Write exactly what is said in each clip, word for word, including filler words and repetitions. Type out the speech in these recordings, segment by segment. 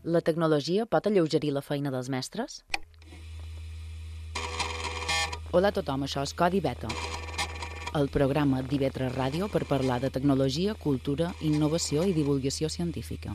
La tecnologia pot alleugerir la feina dels mestres? Hola a tothom, això és Codi Beta, el programa d'I V tres Ràdio per parlar de tecnologia, cultura, innovació i divulgació científica.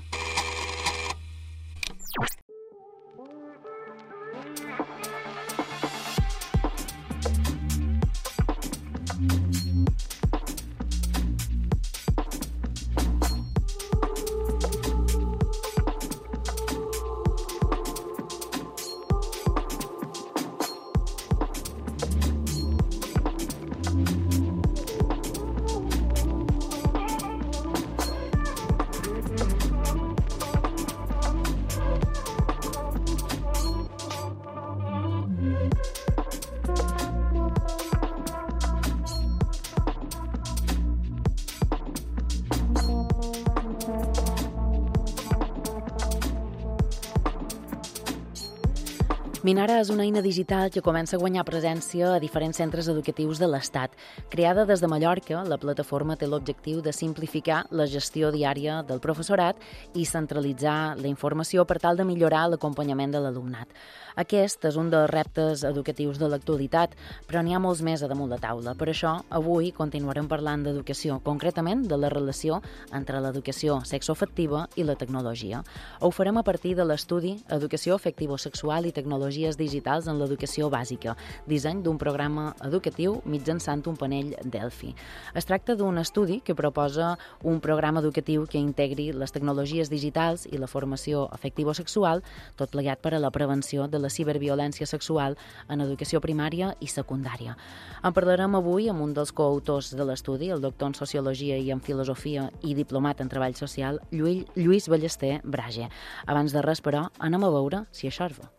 Minara és una eina digital que comença a guanyar presència a diferents centres educatius de l'Estat. Creada des de Mallorca, la plataforma té l'objectiu de simplificar la gestió diària del professorat i centralitzar la informació per tal de millorar l'acompanyament de l'alumnat. Aquest és un dels reptes educatius de l'actualitat, però n'hi ha molts més a damunt la taula. Per això, avui continuarem parlant d'educació, concretament de la relació entre l'educació sexoafectiva i la tecnologia. Ho farem a partir de l'estudi Educació afectivo-sexual i tecnologies digitals en l'educació bàsica, disseny d'un programa educatiu mitjançant un panell Delphi. Es tracta d'un estudi que proposa un programa educatiu que integri les tecnologies digitals i la formació afectivo-sexual, tot plegat per a la prevenció de la ciberviolència sexual en educació primària i secundària. En parlarem avui amb un dels coautors de l'estudi, el doctor en Sociologia i en Filosofia i diplomat en Treball Social, Lluís, Lluís Ballester Brage. Abans de res, però, anem a veure si això és bo.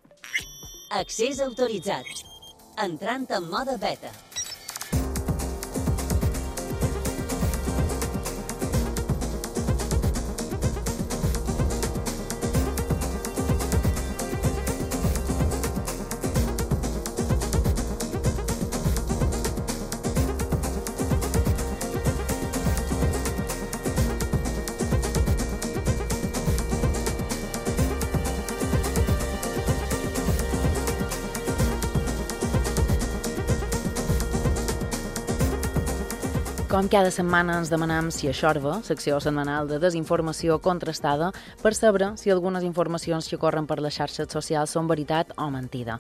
Accés autoritzat. Entrant en mode beta. Com cada setmana ens demanem si això és bo, secció setmanal de desinformació contrastada, per saber si algunes informacions que corren per les xarxes socials són veritat o mentida.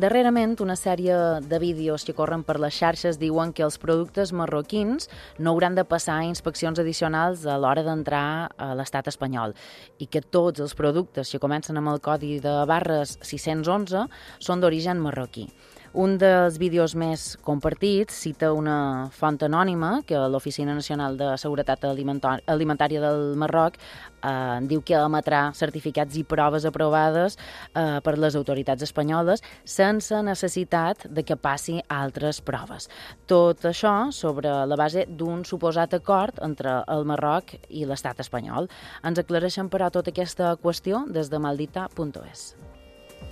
Darrerament, una sèrie de vídeos que corren per les xarxes diuen que els productes marroquins no hauran de passar inspeccions addicionals a l'hora d'entrar a l'estat espanyol i que tots els productes que comencen amb el codi de barres sis-cents onze són d'origen marroquí. Un dels vídeos més compartits cita una font anònima que l'Oficina Nacional de Seguretat Alimentària del Marroc eh, diu que emetrà certificats i proves aprovades eh, per les autoritats espanyoles sense necessitat de que passi altres proves. Tot això sobre la base d'un suposat acord entre el Marroc i l'estat espanyol. Ens aclareixen, però, tota aquesta qüestió des de maldita punt es.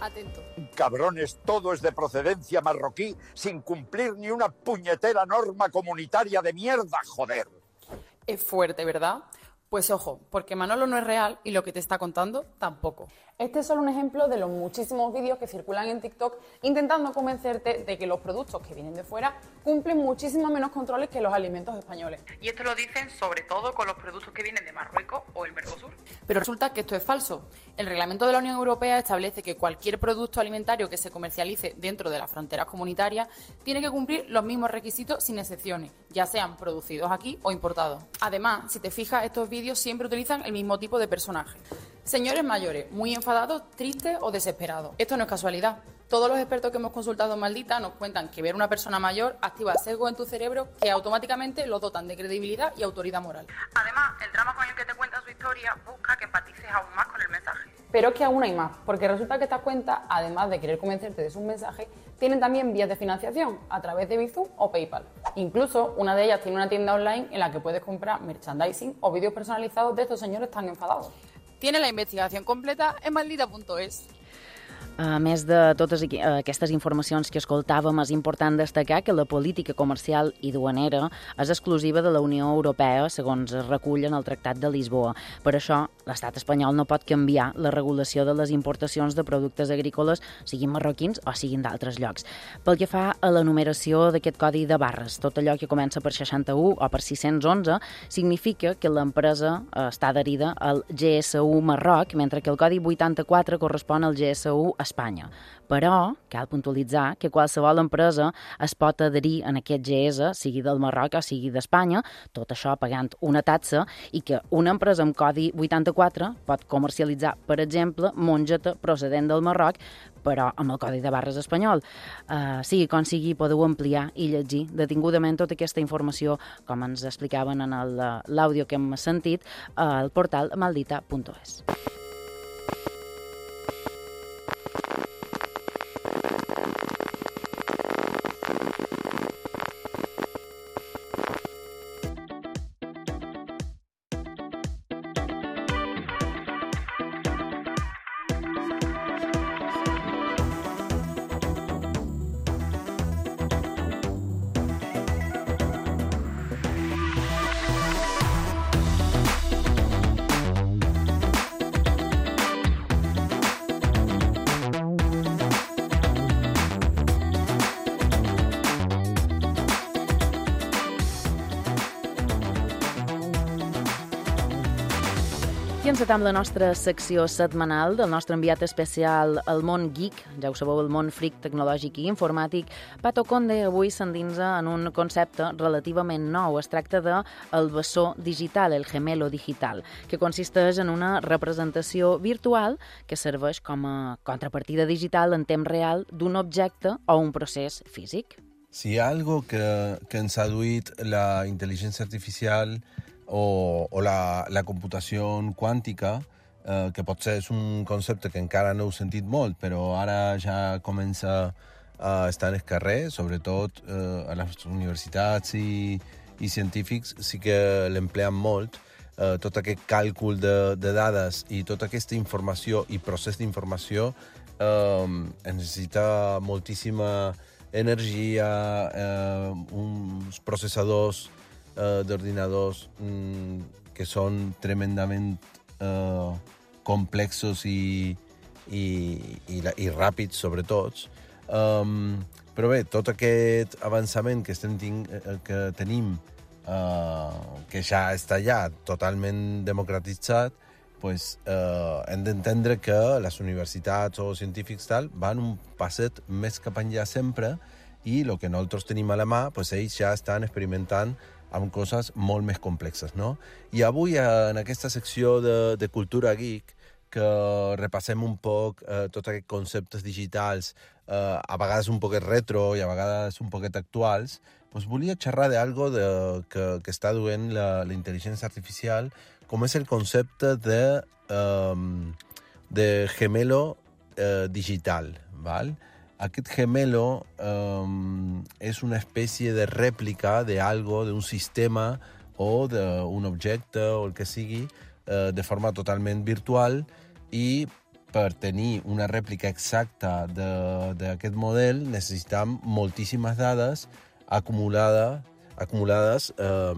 Atento. Cabrones, todo es de procedencia marroquí sin cumplir ni una puñetera norma comunitaria de mierda, joder. Es fuerte, ¿verdad? Pues ojo, porque Manolo no es real y lo que te está contando tampoco. Este es solo un ejemplo de los muchísimos vídeos que circulan en TikTok intentando convencerte de que los productos que vienen de fuera cumplen muchísimo menos controles que los alimentos españoles. Y esto lo dicen sobre todo con los productos que vienen de Marruecos o el Mercosur. Pero resulta que esto es falso. El reglamento de la Unión Europea establece que cualquier producto alimentario que se comercialice dentro de las fronteras comunitarias tiene que cumplir los mismos requisitos sin excepciones, ya sean producidos aquí o importados. Además, si te fijas, estos vídeos siempre utilizan el mismo tipo de personaje. Señores mayores, muy enfadados, tristes o desesperados. Esto no es casualidad. Todos los expertos que hemos consultado en Maldita nos cuentan que ver a una persona mayor activa sesgos en tu cerebro que automáticamente lo dotan de credibilidad y autoridad moral. Además, el drama con el que te cuenta su historia busca que empatices aún más con el mensaje. Pero es que aún hay más, porque resulta que estas cuentas, además de querer convencerte de sus mensajes, tienen también vías de financiación a través de Bizum o PayPal. Incluso una de ellas tiene una tienda online en la que puedes comprar merchandising o vídeos personalizados de estos señores tan enfadados. Tiene la investigación completa en maldita punto es. A més de totes aquestes informacions que escoltàvem, és important destacar que la política comercial i duanera és exclusiva de la Unió Europea, segons es recull en el Tractat de Lisboa. Per això, l'estat espanyol no pot canviar la regulació de les importacions de productes agrícoles, siguin marroquins o siguin d'altres llocs. Pel que fa a la numeració d'aquest codi de barres, tot allò que comença per seixanta-u o per sis-cents onze significa que l'empresa està adherida al G S U Marroc, mentre que el codi vuitanta-quatre correspon al G S U Espanya. Però cal puntualitzar que qualsevol empresa es pot adherir en aquest G S, sigui del Marroc o sigui d'Espanya, tot això pagant una taxa, i que una empresa amb codi vuitanta-quatre pot comercialitzar, per exemple, mongeta procedent del Marroc, però amb el codi de barres espanyol. Uh, sigui com sigui, podeu ampliar i llegir detingudament tota aquesta informació, com ens explicaven en l'àudio que hem sentit, al portal maldita punt es. I encetam la nostra secció setmanal del nostre enviat especial al món geek, ja ho sabeu, el món fric tecnològic i informàtic. Pato Conde avui s'endinsa en un concepte relativament nou. Es tracta de el bessó digital, el gemelo digital, que consisteix en una representació virtual que serveix com a contrapartida digital en temps real d'un objecte o un procés físic. Si hi ha algo que, que ens ha duit la intel·ligència artificial o, o la, la computació quàntica, eh, que potser és un concepte que encara no heu sentit molt, però ara ja comença a estar en el carrer, sobretot eh, a les universitats i, i científics sí que l'empleen molt, eh, tot aquest càlcul de, de dades i tota aquesta informació i procés d'informació eh, necessita moltíssima energia, eh, uns processadors eh, d'ordinadors mm, que són tremendament eh, complexos i, i, i, i ràpids, sobretot. Um, però bé, tot aquest avançament que, estem ting que tenim, uh, que ja està allà totalment democratitzat, pues, uh, hem d'entendre que les universitats o científics tal van un passet més cap enllà sempre i el que nosaltres tenim a la mà, pues, ells ja estan experimentant amb coses molt més complexes, no? I avui, en aquesta secció de, de cultura geek, que repassem un poc eh, tots aquests conceptes digitals, eh, a vegades un poquet retro i a vegades un poquet actuals, doncs volia xerrar d'algo de, que, que està duent la, la intel·ligència artificial, com és el concepte de, um, de gemelo eh, digital, val? Aquest gemelo um, és una espècie de rèplica d'algo, d'un sistema o d'un objecte o el que sigui, eh, de forma totalment virtual, i per tenir una rèplica exacta d'aquest model necessitem moltíssimes dades acumulada, acumulades eh,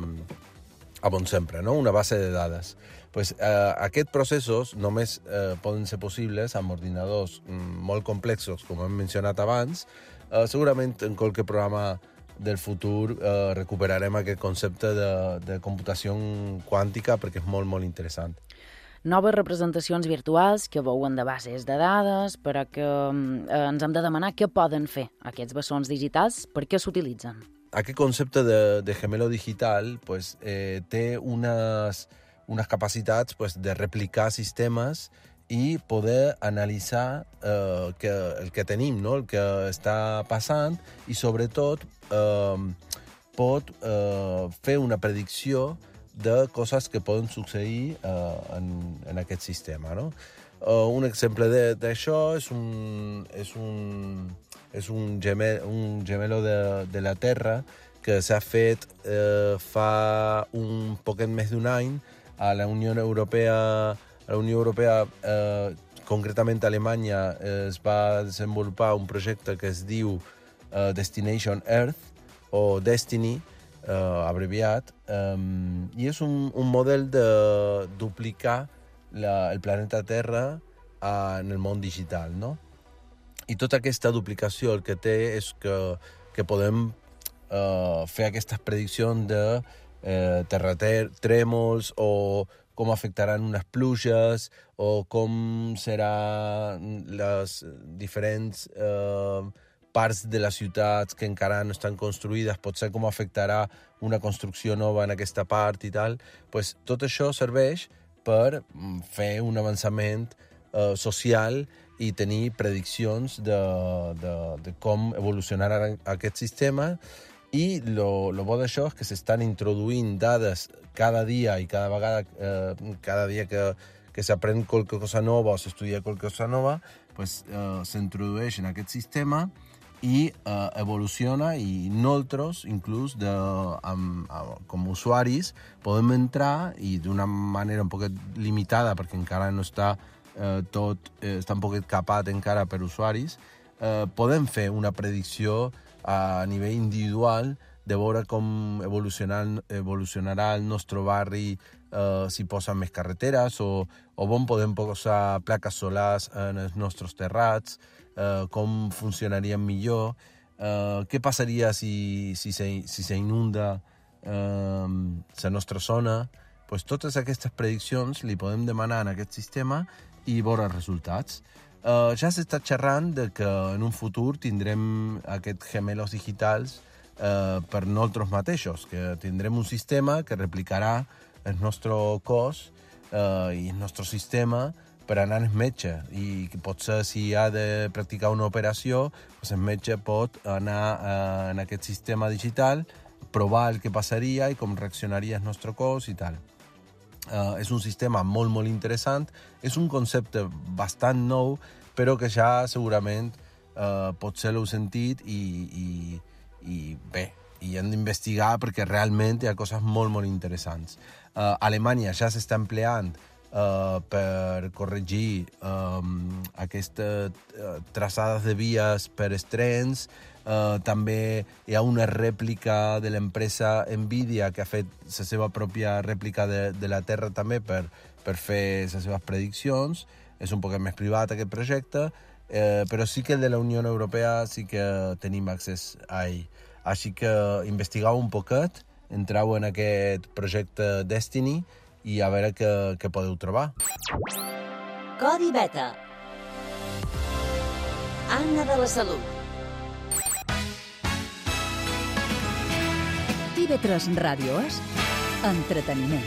a bon sempre, no? Una base de dades. Pues, eh, aquests processos només eh, poden ser possibles amb ordinadors mm, molt complexos, com hem mencionat abans. Eh, segurament en qualque programa del futur eh, recuperarem aquest concepte de, de computació quàntica perquè és molt, molt interessant. Noves representacions virtuals que veuen de bases de dades, però que eh, ens hem de demanar què poden fer aquests bessons digitals, per què s'utilitzen. Aquest concepte de, de gemelo digital pues, eh, té unes, unes capacitats pues, de replicar sistemes i poder analitzar eh, que, el que tenim, no? El que està passant, i sobretot eh, pot eh, fer una predicció de coses que poden succeir uh, en, en aquest sistema, no? Uh, un exemple d'això és un, és un, és un, gemel, un gemelo de, de la Terra que s'ha fet uh, fa un poquet més d'un any a la Unió Europea. A la Unió Europea uh, concretament a Alemanya es va desenvolupar un projecte que es diu uh, Destination Earth, o Destiny, uh, abreviat, um, i és un, un model de duplicar la, el planeta Terra uh, en el món digital, no? I tota aquesta duplicació el que té és que, que podem uh, fer aquestes prediccions de uh, terratrèmols o com afectaran unes pluges o com seran les diferents uh, parts de les ciutats que encara no estan construïdes, potser com afectarà una construcció nova en aquesta part i tal, pues, tot això serveix per fer un avançament eh, social i tenir prediccions de, de, de com evolucionarà aquest sistema. I lo, lo bo d'això és que s'estan introduint dades cada dia i cada vegada, eh, cada dia que, que s'aprèn qualque cosa nova o s'estudia qualque cosa nova, pues, eh, s'introdueix en aquest sistema i uh, evoluciona i nosaltres, inclús de, amb, amb, com a usuaris, podem entrar i d'una manera un poquet limitada, perquè encara no està eh, tot, eh, està un poquet capat encara per usuaris, eh, podem fer una predicció a nivell individual de veure com evolucionar, evolucionarà el nostre barri, eh, si posen més carreteres o, o on podem posar plaques solars en els nostres terrats, Uh, com funcionarien millor, uh, què passaria si, si, se, si se inunda uh, la nostra zona. Pues totes aquestes prediccions li podem demanar en aquest sistema i veure els resultats. Uh, ja s'està xerrant de que en un futur tindrem aquests gemelos digitals uh, per nosaltres mateixos, que tindrem un sistema que replicarà el nostre cos uh, i el nostre sistema per anar al metge, i potser si ha de practicar una operació, doncs el metge pot anar eh, en aquest sistema digital, provar el que passaria i com reaccionaria el nostre cos i tal. Eh, és un sistema molt, molt interessant, és un concepte bastant nou, però que ja segurament eh, potser l'heu sentit i, i, i bé, i hem d'investigar perquè realment hi ha coses molt, molt interessants. Eh, a Alemanya ja s'està empleant Uh, per corregir um, aquestes uh, traçades de vies per els trens. Uh, també hi ha una rèplica de l'empresa Nvidia que ha fet la seva pròpia rèplica de, de la Terra també per, per fer les seves prediccions. És un poc més privat aquest projecte, uh, però sí que el de la Unió Europea sí que tenim accés a ell. Així que investigueu un poquet, entreu en aquest projecte Destiny i a veure què, què podeu trobar. Codi Beta. Anna de la Salut. T V tres Ràdio és entreteniment.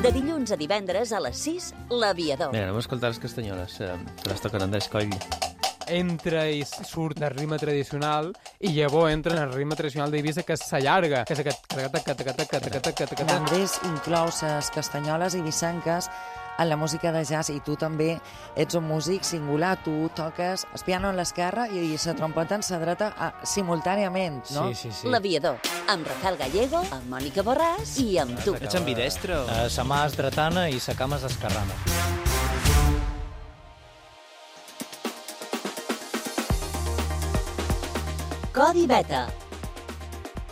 De dilluns a divendres a les sis, L'Aviador. Mira, anem a escoltar les castanyoles, eh, que les toquen Andrés Coll. Entra i surt del ritme tradicional i llavors entra en el ritme tradicional d'Eivissa, que s'allarga, que és aquest... Andrés inclou les castanyoles i vicenques en la música de jazz, i tu també ets un músic singular. Tu toques el piano en l'esquerra i la trompeta en la dreta simultàniament, no? Sí, sí, sí. L'Aviador, amb Rafael Gallego, amb Mònica Borràs i amb tu. Ets ambidestro. Uh, sa mà és dretana i sa cama és esquerrana. Codi Beta.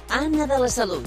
Anna de la Salut.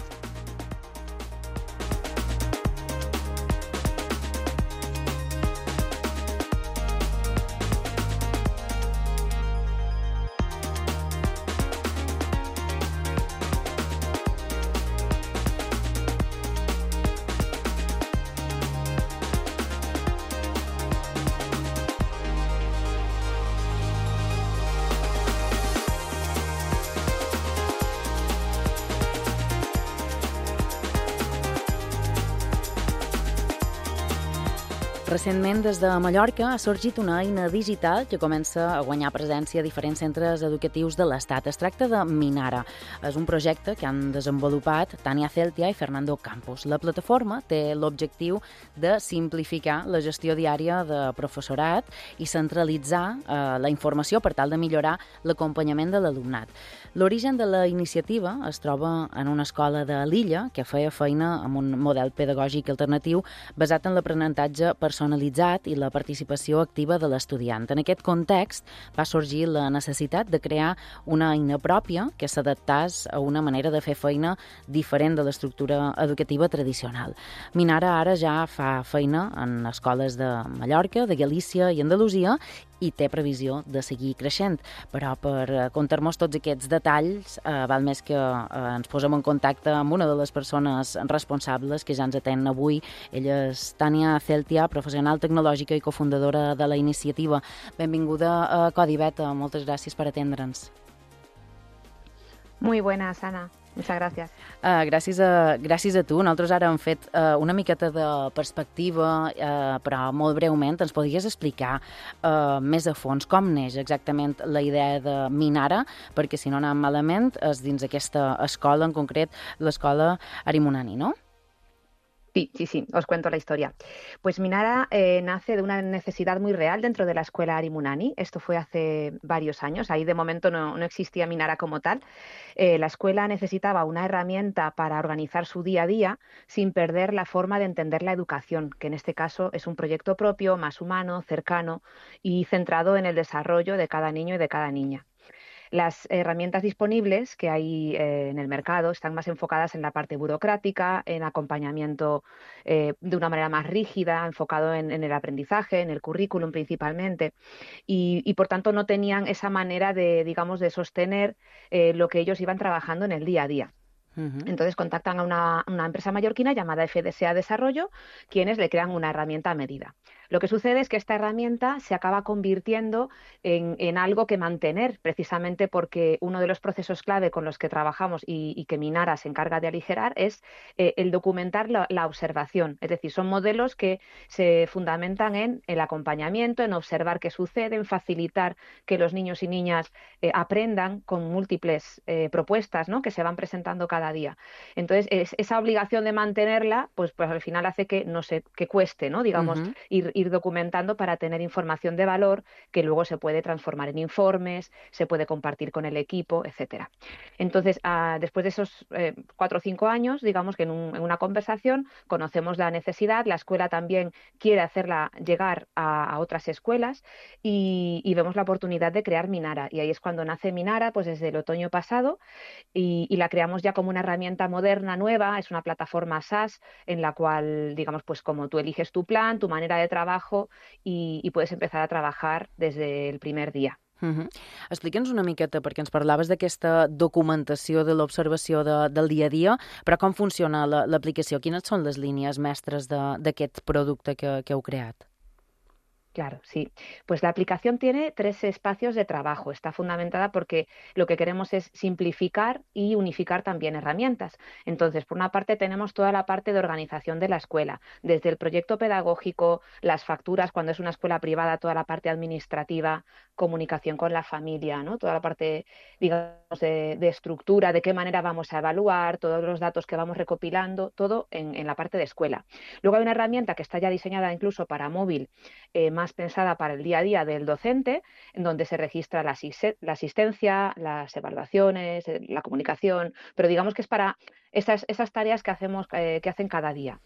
Recentment, des de Mallorca, ha sorgit una eina digital que comença a guanyar presència a diferents centres educatius de l'Estat. Es tracta de Minara. És un projecte que han desenvolupat Tania Celtia i Fernando Campos. La plataforma té l'objectiu de simplificar la gestió diària de professorat i centralitzar eh, la informació per tal de millorar l'acompanyament de l'alumnat. L'origen de la iniciativa es troba en una escola de l'illa que feia feina amb un model pedagògic alternatiu basat en l'aprenentatge personalitzat i la participació activa de l'estudiant. En aquest context va sorgir la necessitat de crear una eina pròpia que s'adaptàs a una manera de fer feina diferent de l'estructura educativa tradicional. Minara ara ja fa feina en escoles de Mallorca, de Galícia i Andalusia i té previsió de seguir creixent. Però per contar-nos tots aquests detalls, eh, val més que eh, ens posem en contacte amb una de les persones responsables que ja ens atén avui. Ella és Tania Celtia, professional tecnològica i cofundadora de la iniciativa. Benvinguda a Codi Beta, moltes gràcies per atendre'ns. Muy buenas, Ana. Muchas gracias. Uh, gràcies, a, gràcies a tu. Nosaltres ara hem fet uh, una miqueta de perspectiva, uh, però molt breument ens podries explicar uh, més a fons com neix exactament la idea de Minara, perquè si no anem malament és dins aquesta escola, en concret l'escola Arimunani, no? Sí, sí, sí, os cuento la historia. Pues Minara eh, nace de una necesidad muy real dentro de la escuela Arimunani. Esto fue hace varios años. Ahí de momento no, no existía Minara como tal. Eh, la escuela necesitaba una herramienta para organizar su día a día sin perder la forma de entender la educación, que en este caso es un proyecto propio, más humano, cercano y centrado en el desarrollo de cada niño y de cada niña. Las herramientas disponibles que hay eh, en el mercado están más enfocadas en la parte burocrática, en acompañamiento eh, de una manera más rígida, enfocado en, en el aprendizaje, en el currículum principalmente, y, y por tanto no tenían esa manera de, digamos, de sostener eh, lo que ellos iban trabajando en el día a día. Entonces contactan a una, una empresa mallorquina llamada F D S A Desarrollo, quienes le crean una herramienta a medida. Lo que sucede es que esta herramienta se acaba convirtiendo en, en algo que mantener, precisamente porque uno de los procesos clave con los que trabajamos y, y que Minara se encarga de aligerar es eh, el documentar la, la observación. Es decir, son modelos que se fundamentan en el acompañamiento, en observar qué sucede, en facilitar que los niños y niñas eh, aprendan con múltiples eh, propuestas, ¿no?, que se van presentando cada día. Entonces, es, esa obligación de mantenerla, pues, pues al final hace que no sé, que cueste, ¿no?, digamos, uh-huh. ir, ir documentando para tener información de valor que luego se puede transformar en informes, se puede compartir con el equipo, etcétera. Entonces, uh, después de esos eh, cuatro o cinco años, digamos que en, un, en una conversación conocemos la necesidad, la escuela también quiere hacerla llegar a, a otras escuelas y, y vemos la oportunidad de crear Minara. Y ahí es cuando nace Minara, pues desde el otoño pasado, y, y la creamos ya como una herramienta moderna, nueva, es una plataforma SaaS en la cual, digamos, pues como tú eliges tu plan, tu manera de trabajo y, y puedes empezar a trabajar desde el primer día. Uh-huh. Explica'ns una miqueta, perquè ens parlaves d'aquesta documentació de l'observació de, del dia a dia, però com funciona la, l'aplicació? Quines són les línies mestres d'aquest producte que, que heu creat? Claro, sí. Pues la aplicación tiene tres espacios de trabajo. Está fundamentada porque lo que queremos es simplificar y unificar también herramientas. Entonces, por una parte tenemos toda la parte de organización de la escuela, desde el proyecto pedagógico, las facturas, cuando es una escuela privada, toda la parte administrativa, comunicación con la familia, ¿no?, toda la parte, digamos, de, de estructura, de qué manera vamos a evaluar, todos los datos que vamos recopilando, todo en, en la parte de escuela. Luego hay una herramienta que está ya diseñada incluso para móvil, eh, más pensada para el día a día del docente, en donde se registra la, asist- la asistencia, las evaluaciones, la comunicación, pero digamos que es para esas, esas tareas que hacemos, eh, que hacen cada día.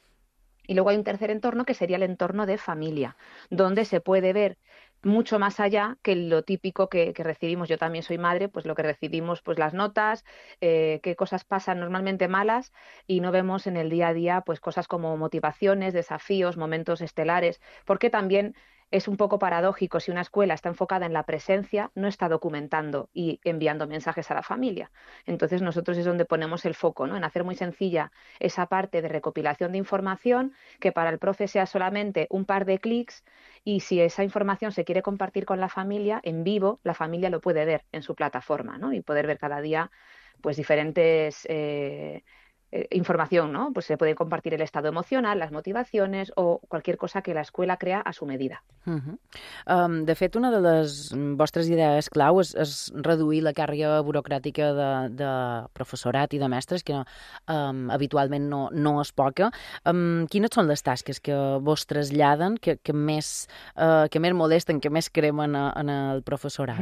Y luego hay un tercer entorno que sería el entorno de familia, donde se puede ver mucho más allá que lo típico que, que recibimos. Yo también soy madre, pues lo que recibimos, pues las notas, eh, qué cosas pasan normalmente malas y no vemos en el día a día pues cosas como motivaciones, desafíos, momentos estelares, porque también es un poco paradójico, si una escuela está enfocada en la presencia, no está documentando y enviando mensajes a la familia. Entonces nosotros es donde ponemos el foco, ¿no?, en hacer muy sencilla esa parte de recopilación de información, que para el profe sea solamente un par de clics, y si esa información se quiere compartir con la familia, en vivo, la familia lo puede ver en su plataforma, ¿no?, y poder ver cada día pues diferentes eh, eh, información, ¿no? Pues se puede compartir el estado emocional, las motivaciones o cualquier cosa que la escuela crea a su medida. Uh -huh. um, de fet, una de les vostres idees clau és, és reduir la càrrega burocràtica de, de professorat i de mestres, que um, habitualment no, no és poca. Um, quines són les tasques que vos traslladen, que, que, més, uh, que més molesten, que més cremen a, en el professorat?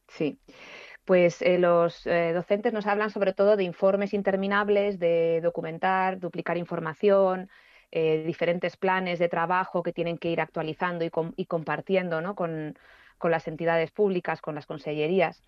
Sí. Pues eh, los eh, docentes nos hablan sobre todo de informes interminables, de documentar, duplicar información, eh, diferentes planes de trabajo que tienen que ir actualizando y, com y compartiendo, ¿no? con, con las entidades públicas, con las consellerías.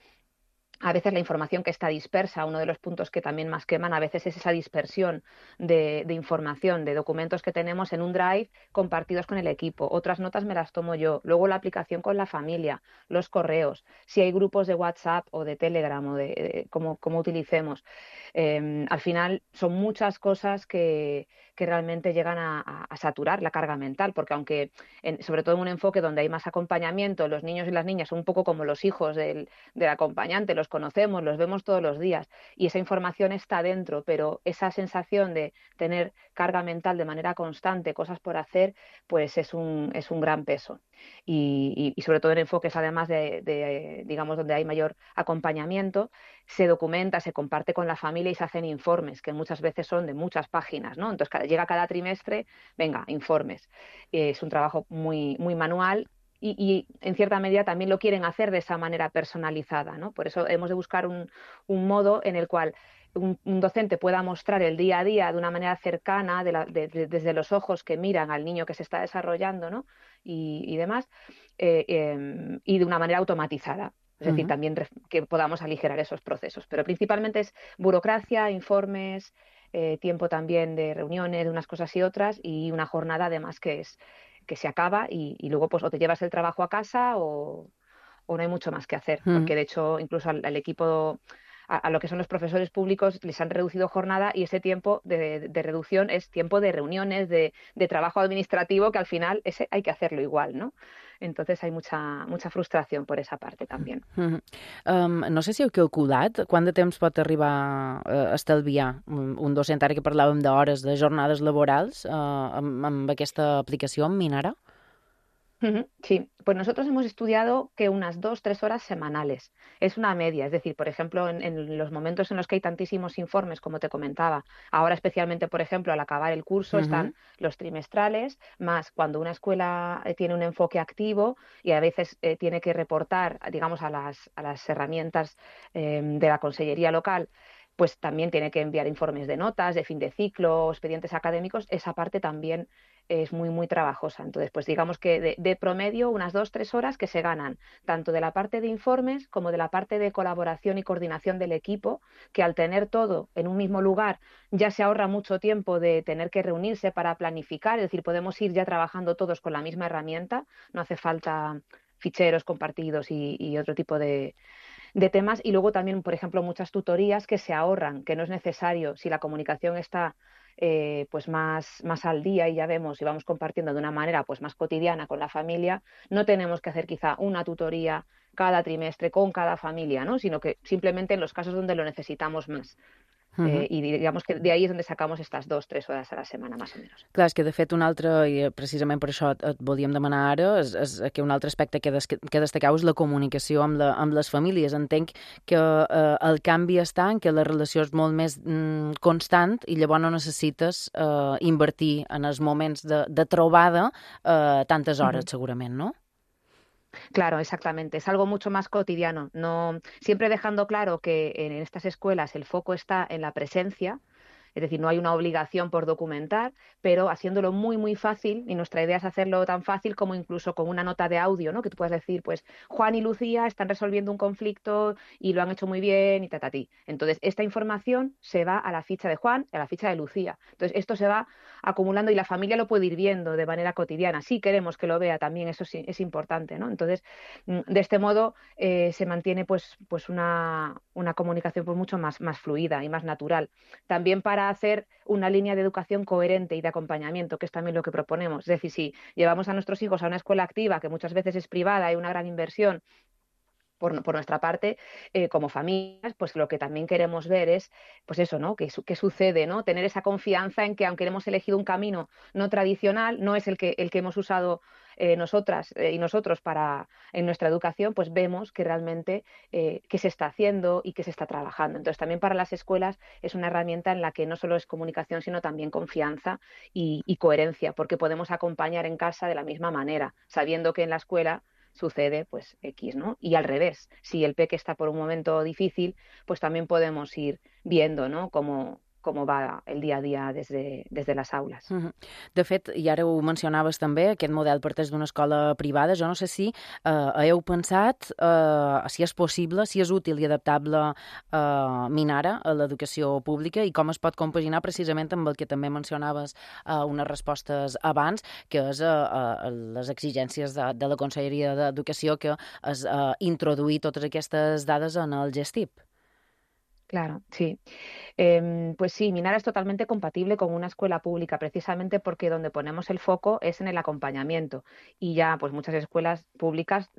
A veces la información que está dispersa, uno de los puntos que también más queman a veces es esa dispersión de, de información, de documentos que tenemos en un drive compartidos con el equipo. Otras notas me las tomo yo. Luego la aplicación con la familia, los correos, si hay grupos de WhatsApp o de Telegram o de, de cómo, cómo utilicemos. Eh, al final son muchas cosas que, que realmente llegan a, a, a saturar la carga mental, porque aunque, en, sobre todo en un enfoque donde hay más acompañamiento, los niños y las niñas son un poco como los hijos del, del acompañante, los conocemos, los vemos todos los días y esa información está dentro, pero esa sensación de tener carga mental de manera constante, cosas por hacer, pues es un, es un gran peso. Y, y, y sobre todo en enfoques además de, de, digamos, donde hay mayor acompañamiento, se documenta, se comparte con la familia y se hacen informes, que muchas veces son de muchas páginas, ¿no? Entonces cada, llega cada trimestre, venga, informes. Es un trabajo muy, muy manual. Y, y en cierta medida también lo quieren hacer de esa manera personalizada, ¿no? Por eso hemos de buscar un, un modo en el cual un, un docente pueda mostrar el día a día de una manera cercana, de la, de, de, desde los ojos que miran al niño que se está desarrollando, ¿no? y, y demás, eh, eh, y de una manera automatizada. Es decir, uh-huh. también que podamos aligerar esos procesos. Pero principalmente es burocracia, informes, eh, tiempo también de reuniones, de unas cosas y otras, y una jornada además que es que se acaba y, y luego pues o te llevas el trabajo a casa o, o no hay mucho más que hacer, mm. porque de hecho incluso al, al equipo, a, a lo que son los profesores públicos les han reducido jornada y ese tiempo de, de, de reducción es tiempo de reuniones, de, de trabajo administrativo que al final ese hay que hacerlo igual, ¿no? Entonces hay mucha, mucha frustració per esa part també. Mm -hmm. um, no sé si heu calculat quant de temps pot arribar a estalviar un docent, ara que parlàvem d'hores, de jornades laborals, uh, amb, amb aquesta aplicació, amb Minara? Sí, pues nosotros hemos estudiado que unas dos, tres horas semanales. Es una media, es decir, por ejemplo, en, en los momentos en los que hay tantísimos informes, como te comentaba, ahora especialmente, por ejemplo, al acabar el curso uh-huh. están los trimestrales, más cuando una escuela tiene un enfoque activo y a veces eh, tiene que reportar, digamos, a las, a las herramientas eh, de la consellería local, pues también tiene que enviar informes de notas, de fin de ciclo, expedientes académicos, esa parte también es muy, muy trabajosa. Entonces, pues digamos que de, de promedio unas dos, tres horas que se ganan, tanto de la parte de informes como de la parte de colaboración y coordinación del equipo, que al tener todo en un mismo lugar ya se ahorra mucho tiempo de tener que reunirse para planificar, es decir, podemos ir ya trabajando todos con la misma herramienta, no hace falta ficheros compartidos y, y otro tipo de... de temas y luego también, por ejemplo, muchas tutorías que se ahorran, que no es necesario si la comunicación está eh, pues más, más al día y ya vemos y vamos compartiendo de una manera pues más cotidiana con la familia, no tenemos que hacer quizá una tutoría cada trimestre con cada familia, ¿no? Sino que simplemente en los casos donde lo necesitamos más. Uh-huh. eh, i digamos que de ahí és on sacamos estas dos, tres hores a la setmana, més o menys. Clar, és que de fet un altre, i precisament per això et volíem demanar ara, és, és que un altre aspecte que, des, que destacau és la comunicació amb, la, amb les famílies. Entenc que eh, el canvi està en que la relació és molt més mm, constant i llavors no necessites eh, invertir en els moments de, de trobada eh, tantes hores, uh-huh. segurament, no? Claro, exactamente. Es algo mucho más cotidiano. No, siempre dejando claro que en estas escuelas el foco está en la presencia, es decir, no hay una obligación por documentar, pero haciéndolo muy, muy fácil, y nuestra idea es hacerlo tan fácil como incluso con una nota de audio, ¿no? Que tú puedas decir, pues, Juan y Lucía están resolviendo un conflicto y lo han hecho muy bien y tatatí. Entonces, esta información se va a la ficha de Juan y a la ficha de Lucía. Entonces, esto se va acumulando y la familia lo puede ir viendo de manera cotidiana. Sí queremos que lo vea también, eso sí es importante, ¿no? Entonces, de este modo eh, se mantiene pues, pues una, una comunicación pues mucho más, más fluida y más natural. También para hacer una línea de educación coherente y de acompañamiento, que es también lo que proponemos. Es decir, si llevamos a nuestros hijos a una escuela activa, que muchas veces es privada, hay una gran inversión, por, por nuestra parte, eh, como familias, pues lo que también queremos ver es, pues eso, ¿no? ¿Qué, qué sucede, ¿no? Tener esa confianza en que aunque hemos elegido un camino no tradicional, no es el que, el que hemos usado eh, nosotras eh, y nosotros para en nuestra educación, pues vemos que realmente eh, qué se está haciendo y qué se está trabajando. Entonces, también para las escuelas es una herramienta en la que no solo es comunicación, sino también confianza y, y coherencia, porque podemos acompañar en casa de la misma manera, sabiendo que en la escuela sucede pues X, ¿no? Y al revés, si el peque está por un momento difícil, pues también podemos ir viendo, ¿no? Cómo, cómo va el dia a dia des de, des de les aules. Uh -huh. De fet, i ara ho mencionaves també, aquest model parteix d'una escola privada. Jo no sé si eh, heu pensat eh, si és possible, si és útil i adaptable eh, Minara a l'educació pública i com es pot compaginar precisament amb el que també mencionaves eh, unes respostes abans, que és eh, eh, les exigències de, de la Conselleria d'Educació, que és eh, introduir totes aquestes dades en el Gestip. Claro, sí. Eh, pues sí, Minara es totalmente compatible con una escuela pública, precisamente porque donde ponemos el foco es en el acompañamiento. Y ya, pues muchas escuelas públicas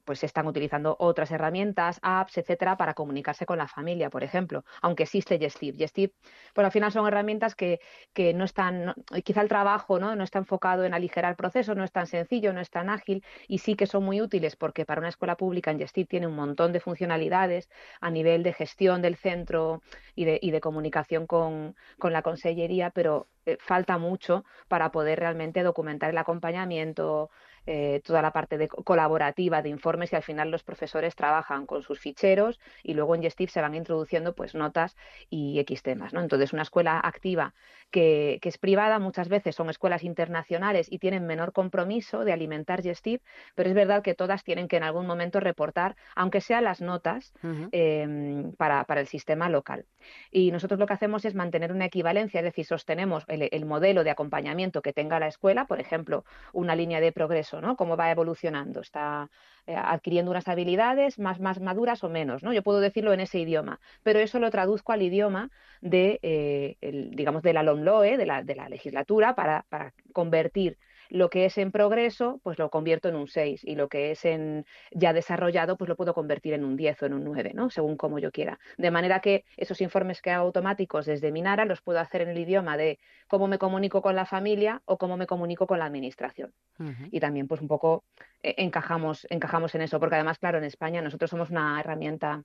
pues están utilizando otras herramientas, apps, etcétera, para comunicarse con la familia, por ejemplo. Aunque existe Gestip. Gestip, pues al final son herramientas que, que no están, no, quizá el trabajo, ¿no? no está enfocado en aligerar el proceso, no es tan sencillo, no es tan ágil, y sí que son muy útiles porque para una escuela pública en Gestip tiene un montón de funcionalidades a nivel de gestión del centro centro y de, y de comunicación con, con la consellería, pero eh, falta mucho para poder realmente documentar el acompañamiento, eh, toda la parte de colaborativa de informes, y al final los profesores trabajan con sus ficheros y luego en Gestip se van introduciendo pues notas y X temas, ¿no? Entonces una escuela activa que, que es privada muchas veces son escuelas internacionales y tienen menor compromiso de alimentar Gestip, pero es verdad que todas tienen que en algún momento reportar, aunque sean las notas, uh-huh. eh, para, para el sistema local. Y nosotros lo que hacemos es mantener una equivalencia, es decir, sostenemos el, el modelo de acompañamiento que tenga la escuela, por ejemplo, una línea de progreso, ¿no? Cómo va evolucionando, está eh, adquiriendo unas habilidades más, más maduras o menos, ¿no? Yo puedo decirlo en ese idioma, pero eso lo traduzco al idioma de, eh, el, digamos, de la LOMLOE, de la, de la legislatura, para, para convertir lo que es en progreso, pues lo convierto en un seis, y lo que es en ya desarrollado, pues lo puedo convertir en un diez o en un nueve, ¿no? Según como yo quiera. De manera que esos informes que hago automáticos desde Minara los puedo hacer en el idioma de cómo me comunico con la familia o cómo me comunico con la administración. Uh-huh. Y también pues un poco eh, encajamos, encajamos en eso, porque además, claro, en España nosotros somos una herramienta,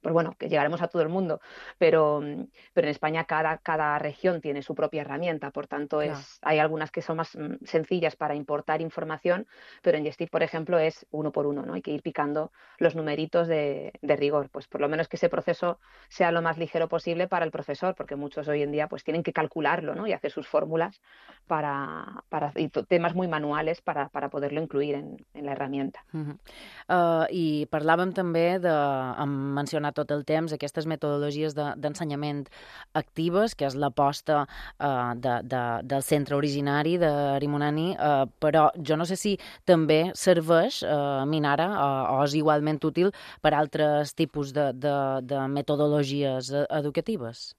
pues bueno, que llegaremos a todo el mundo, pero, pero en España cada, cada región tiene su propia herramienta, por tanto es, claro. Hay algunas que son más sencillas para importar información, pero en Gestip, por ejemplo, es uno por uno, ¿no? Hay que ir picando los numeritos de, de rigor, pues por lo menos que ese proceso sea lo más ligero posible para el profesor, porque muchos hoy en día pues tienen que calcularlo, ¿no? Y hacer sus fórmulas para, para y temas muy manuales para, para poderlo incluir en, en la herramienta. Uh-huh. uh, I parlàvem també de, hem mencionat tot el temps aquestes metodologies de, d'ensenyament actives, que és l'aposta uh, de, de, del centre originari d'Arimunani, uh, però jo no sé si també serveix uh, Minara uh, o és igualment útil per altres tipus de, de, de metodologies educatives.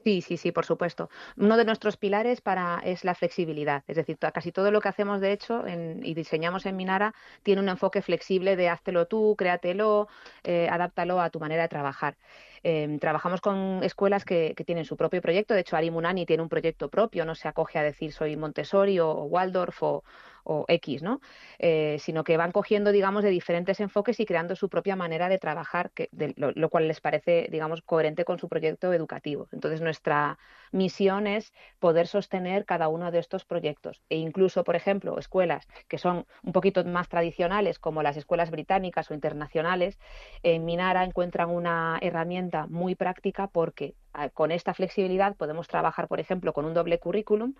Sí, sí, sí, por supuesto. Uno de nuestros pilares para es la flexibilidad. Es decir, casi todo lo que hacemos, de hecho, en, y diseñamos en Minara, tiene un enfoque flexible de háztelo tú, créatelo, eh, adáptalo a tu manera de trabajar. Eh, trabajamos con escuelas que, que tienen su propio proyecto. De hecho, Arimunani tiene un proyecto propio, no se acoge a decir soy Montessori o, o Waldorf o, o X, ¿no? Eh, sino que van cogiendo, digamos, de diferentes enfoques y creando su propia manera de trabajar, que, de, lo, lo cual les parece, digamos, coherente con su proyecto educativo. Entonces, nuestra misión es poder sostener cada uno de estos proyectos. E incluso, por ejemplo, escuelas que son un poquito más tradicionales, como las escuelas británicas o internacionales, en Minara encuentran una herramienta muy práctica porque con esta flexibilidad podemos trabajar, por ejemplo, con un doble currículum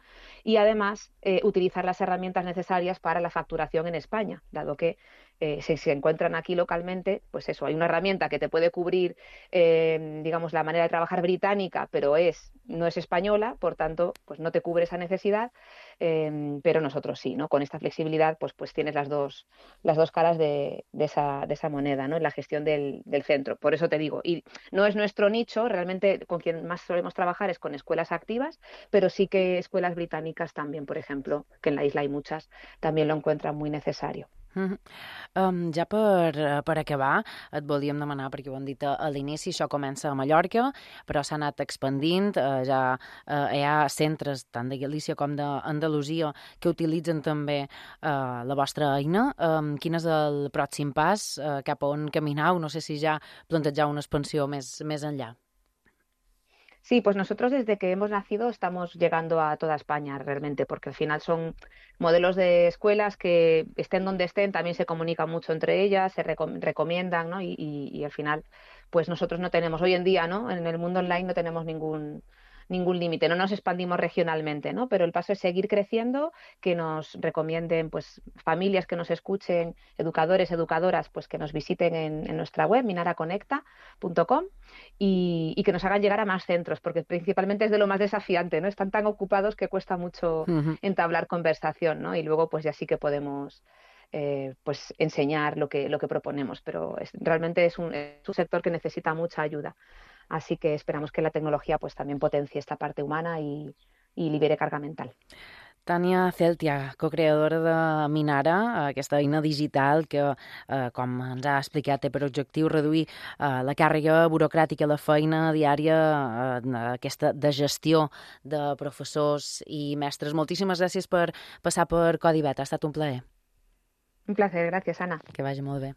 y además eh, utilizar las herramientas necesarias para la facturación en España, dado que eh, si se encuentran aquí localmente, pues eso, hay una herramienta que te puede cubrir, eh, digamos, la manera de trabajar británica, pero es no es española, por tanto, pues no te cubre esa necesidad, eh, pero nosotros sí, ¿no? Con esta flexibilidad, pues, pues tienes las dos, las dos caras de, de, esa, de esa moneda, ¿no? En la gestión del, del centro. Por eso te digo, y no es nuestro nicho, realmente con quien más solemos trabajar es con escuelas activas, pero sí que escuelas británicas también, por ejemplo, que en la isla hay muchas, también lo encuentran muy necesario. Mm -hmm. um, ja per, per acabar, et volíem demanar, perquè ho hem dit a, a l'inici, això comença a Mallorca, però s'ha anat expandint, uh, ja uh, hi ha centres tant de Galícia com d'Andalusia que utilitzen també uh, la vostra eina. Um, quin és el pròxim pas? Uh, cap a on caminau? No sé si ja plantejau una expansió més, més enllà. Sí, pues nosotros desde que hemos nacido estamos llegando a toda España realmente, porque al final son modelos de escuelas que estén donde estén, también se comunican mucho entre ellas, se recom recomiendan, ¿no? Y, y, y al final, pues nosotros no tenemos, hoy en día, ¿no? En el mundo online no tenemos ningún ningún límite, no nos expandimos regionalmente, ¿no? Pero el paso es seguir creciendo, que nos recomienden pues familias que nos escuchen, educadores, educadoras, pues que nos visiten en, en nuestra web, minara conecta punto com, y, y que nos hagan llegar a más centros, porque principalmente es de lo más desafiante, ¿no? Están tan ocupados que cuesta mucho uh-huh. entablar conversación, ¿no? Y luego pues ya sí que podemos eh, pues enseñar lo que, lo que proponemos, pero es, realmente es un, es un sector que necesita mucha ayuda. Así que esperamos que la tecnología pues también potencie esta parte humana y, y libere carga mental. Tània Celtia, cocreadora de Minara, aquesta eina digital que, eh, com ens ha explicat, té per objectiu reduir eh, la càrrega burocràtica, la feina diària, eh, aquesta de gestió de professors i mestres. Moltíssimes gràcies per passar per Codi Beta, ha estat un plaer. Un placer, gràcies, Anna. Que vagi molt bé.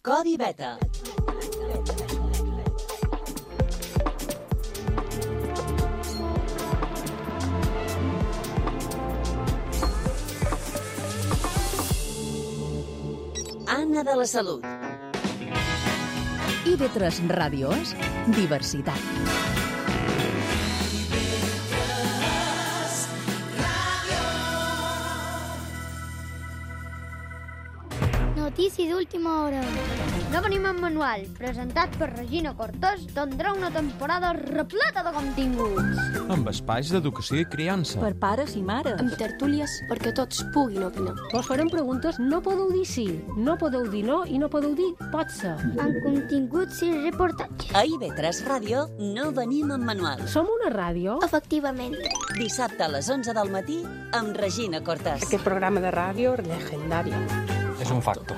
Codi Beta. Anna de la Salut. I ve tres ràdios, diversitat. Notícia d'última hora. No venim en manual, presentat per Regina Cortés, tindrà una temporada repleta de continguts. Amb espais d'educació i criança. Per pares i mares. Amb tertúlies perquè tots puguin opinar. Vos farem preguntes, no podeu dir sí, no podeu dir no i no podeu dir pot ser. Amb continguts i reportatges. A I V tres Ràdio no venim en manual. Som una ràdio? Efectivament. Dissabte a les onze del matí amb Regina Cortés. Aquest programa de ràdio legendari. És un facto.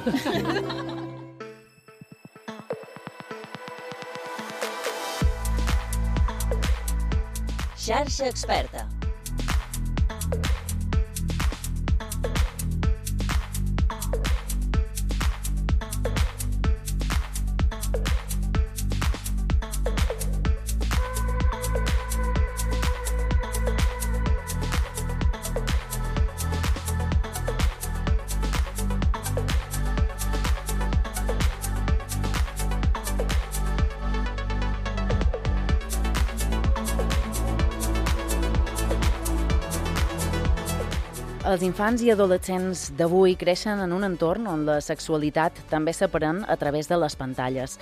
Xarxa Experta. Els infants i adolescents d'avui creixen en un entorn on la sexualitat també s'aprèn a través de les pantalles.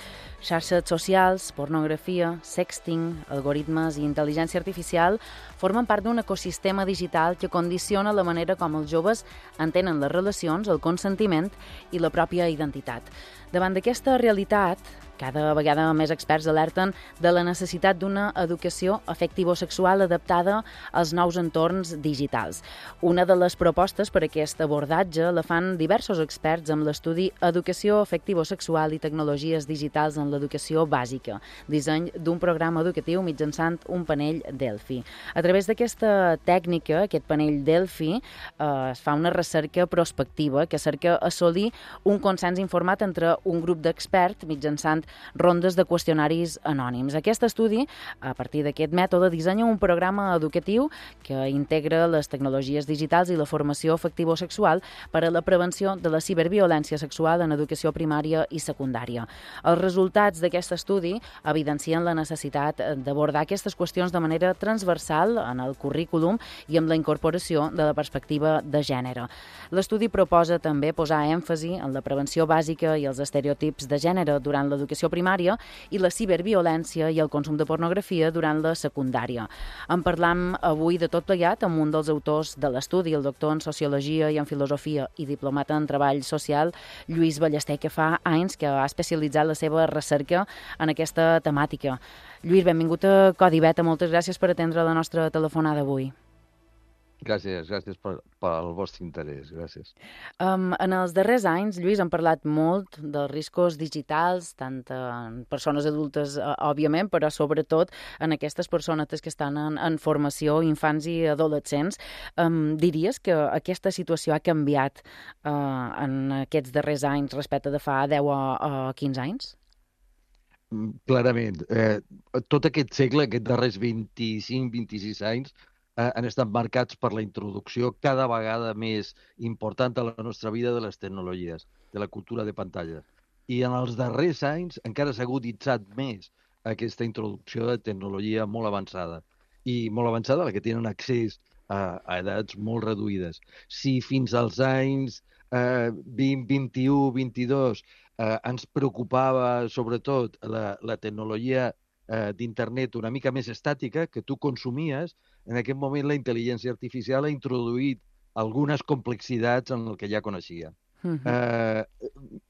Xarxes socials, pornografia, sexting, algoritmes i intel·ligència artificial formen part d'un ecosistema digital que condiciona la manera com els joves entenen les relacions, el consentiment i la pròpia identitat. Davant d'aquesta realitat, cada vegada més experts alerten de la necessitat d'una educació afectivo-sexual adaptada als nous entorns digitals. Una de les propostes per a aquest abordatge la fan diversos experts amb l'estudi Educació afectivo-sexual i tecnologies digitals en l'educació bàsica, disseny d'un programa educatiu mitjançant un panell Delphi. A través d'aquesta tècnica, aquest panell Delphi, eh, es fa una recerca prospectiva que cerca assolir un consens informat entre un grup d'experts mitjançant rondes de qüestionaris anònims. Aquest estudi, a partir d'aquest mètode, dissenya un programa educatiu que integra les tecnologies digitals i la formació afectivo-sexual per a la prevenció de la ciberviolència sexual en educació primària i secundària. Els resultats d'aquest estudi evidencien la necessitat d'abordar aquestes qüestions de manera transversal en el currículum i amb la incorporació de la perspectiva de gènere. L'estudi proposa també posar èmfasi en la prevenció bàsica i els estereotips de gènere durant l'educació primària i la ciberviolència i el consum de pornografia durant la secundària. En parlam avui de tot plegat amb un dels autors de l'estudi, el doctor en Sociologia i en Filosofia i diplomat en Treball Social, Lluís Ballester, que fa anys que ha especialitzat la seva recerca en aquesta temàtica. Lluís, benvingut a Codi Beta, moltes gràcies per atendre la nostra telefonada avui. Gràcies, gràcies per, pel vostre interès, gràcies. Um, en els darrers anys, Lluís, hem parlat molt dels riscos digitals, tant en persones adultes, uh, òbviament, però sobretot en aquestes persones que estan en, en formació, infants i adolescents. Um, diries que aquesta situació ha canviat uh, en aquests darrers anys respecte de fa deu o, o quinze anys? Clarament. Eh, tot aquest segle, aquests darrers vint-i-cinc vint-i-sis anys, eh, han estat marcats per la introducció cada vegada més important a la nostra vida de les tecnologies, de la cultura de pantalla. I en els darrers anys encara s'ha aguditzat més aquesta introducció de tecnologia molt avançada. I molt avançada, la que tenen accés a, a edats molt reduïdes. Si fins als anys eh, vint, vint-i-u, vint-i-dos eh, ens preocupava sobretot la, la tecnologia eh, d'internet una mica més estàtica que tu consumies, en aquest moment la intel·ligència artificial ha introduït algunes complexitats en el que ja coneixia. Uh-huh. eh,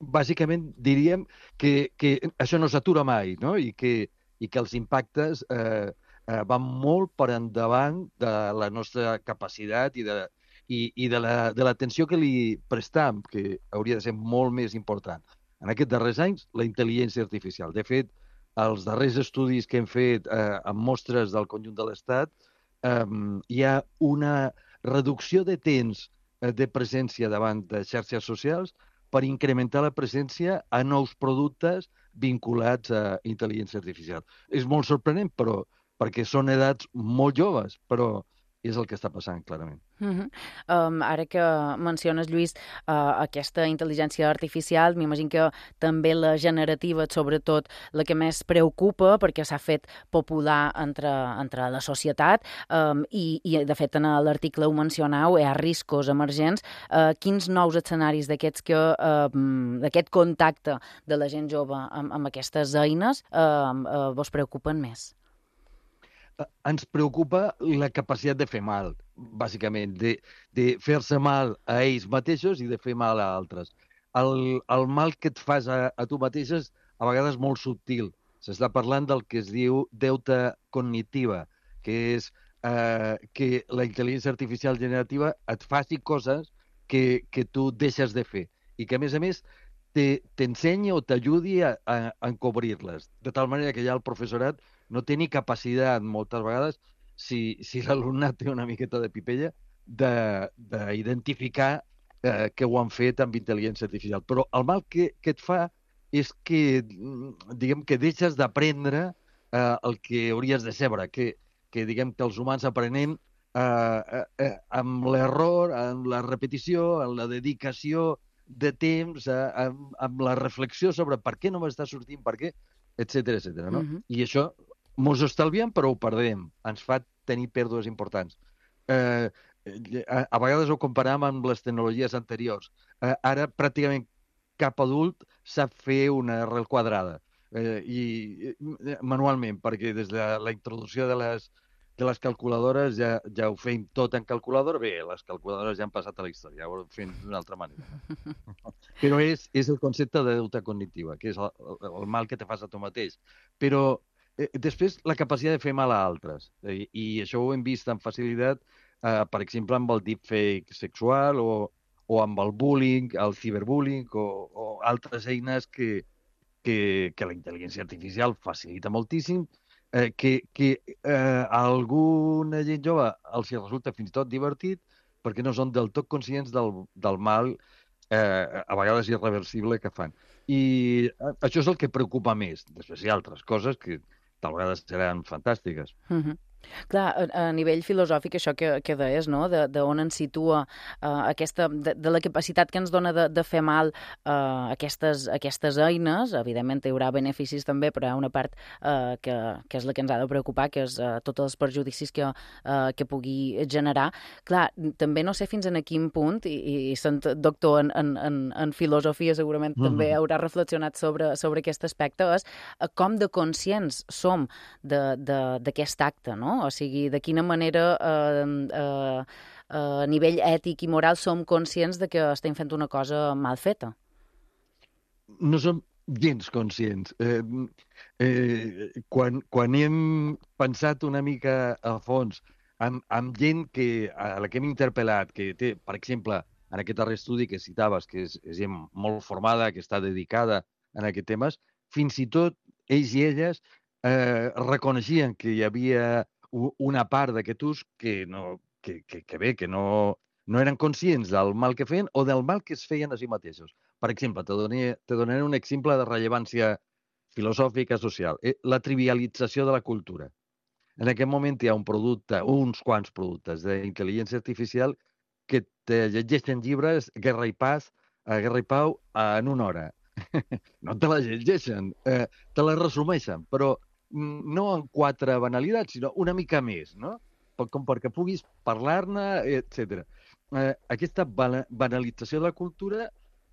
bàsicament diríem que, que això no s'atura mai, no? I, que, i que els impactes eh, eh, van molt per endavant de la nostra capacitat i de, i, i de l'atenció la, que li prestam, que hauria de ser molt més important. En aquests darrers anys, la intel·ligència artificial. De fet, els darrers estudis que hem fet eh, amb mostres del conjunt de l'Estat, eh, hi ha una reducció de temps de presència davant de xarxes socials per incrementar la presència a nous productes vinculats a intel·ligència artificial. És molt sorprenent, però perquè són edats molt joves, però és el que està passant, clarament. Uh-huh. um, ara que menciones, Lluís, uh, aquesta intel·ligència artificial, m'imagino que també la generativa, sobretot la que més preocupa, perquè s'ha fet popular entre, entre la societat, um, i, i de fet en l'article ho mencionau, hi ha riscos emergents. Uh, quins nous escenaris d'aquests que, uh, d'aquest contacte de la gent jove amb, amb aquestes eines uh, uh, vos preocupen més? Ens preocupa la capacitat de fer mal, bàsicament, de, de fer-se mal a ells mateixos i de fer mal a altres. El, el mal que et fas a, a tu mateixes a vegades és molt subtil. S'està parlant del que es diu deuta cognitiva, que és eh, que la intel·ligència artificial generativa et faci coses que, que tu deixes de fer i que, a més a més, t'ensenyi o t'ajudi a, a, a encobrir-les, de tal manera que ja el professorat no té ni capacitat, moltes vegades, si, si l'alumnat té una miqueta de pipella, d'identificar eh, que ho han fet amb intel·ligència artificial. Però el mal que, que et fa és que, diguem, que deixes d'aprendre eh, el que hauries de saber, que, que diguem que els humans aprenem eh, eh, amb l'error, amb la repetició, amb la dedicació de temps, eh, amb, amb la reflexió sobre per què no m'està sortint, per què, etcètera, etcètera, no? Uh-huh. I això mos estalviem, però ho perdem. Ens fa tenir pèrdues importants. Eh, a, a vegades ho comparem amb les tecnologies anteriors. Eh, ara, pràcticament cap adult sap fer una arrel quadrada. Eh, i eh, manualment, perquè des de la introducció de les, de les calculadores ja, ja ho fem tot en calculadora. Bé, les calculadores ja han passat a la història, ja ho fem d'una altra manera. Però és, és el concepte de deuta cognitiva, que és el, el mal que te fas a tu mateix. Però eh, després, la capacitat de fer mal a altres. Eh, I això ho hem vist amb facilitat, eh, per exemple, amb el deepfake sexual o, o amb el bullying, el ciberbullying o, o altres eines que, que, que la intel·ligència artificial facilita moltíssim, eh, que, que eh, a alguna gent jove els resulta fins i tot divertit perquè no són del tot conscients del, del mal eh, a vegades irreversible que fan. I això és el que preocupa més. Després hi ha altres coses que tal vegades seran fantàstiques. Uh-huh. Clar, a, a nivell filosòfic, això que, que deies, no? De, de on ens situa uh, aquesta, de, de la capacitat que ens dona de, de fer mal uh, aquestes, aquestes eines. Evidentment hi haurà beneficis també, però hi ha una part uh, que, que és la que ens ha de preocupar, que és uh, tots els perjudicis que, uh, que pugui generar. Clar, també no sé fins en quin punt, i, i sent doctor en, en, en, en filosofia segurament mm-hmm. també haurà reflexionat sobre, sobre aquest aspecte, és uh, com de conscients som d'aquest acte, no? O sigui, de quina manera eh, eh, a nivell ètic i moral som conscients de que estem fent una cosa mal feta? No som gens conscients. Eh, eh, quan, quan hem pensat una mica a fons amb, amb gent que, a la que hem interpel·lat, que té, per exemple, en aquest darrer estudi que citaves, que és, és gent molt formada, que està dedicada en aquests temes, fins i tot ells i elles eh, reconeixien que hi havia una part d'aquest ús que, no, que, que, que bé, que no, no eren conscients del mal que feien o del mal que es feien a si mateixos. Per exemple, te donaré, te donaré un exemple de rellevància filosòfica social. La trivialització de la cultura. En aquest moment hi ha un producte, uns quants productes d'intel·ligència artificial que te llegeixen llibres, Guerra i Paz, Guerra i Pau, en una hora. No te la llegeixen, eh, te la resumeixen, però no en quatre banalitats, sinó una mica més, no? Com perquè puguis parlar-ne, etcètera. Eh, aquesta banalització de la cultura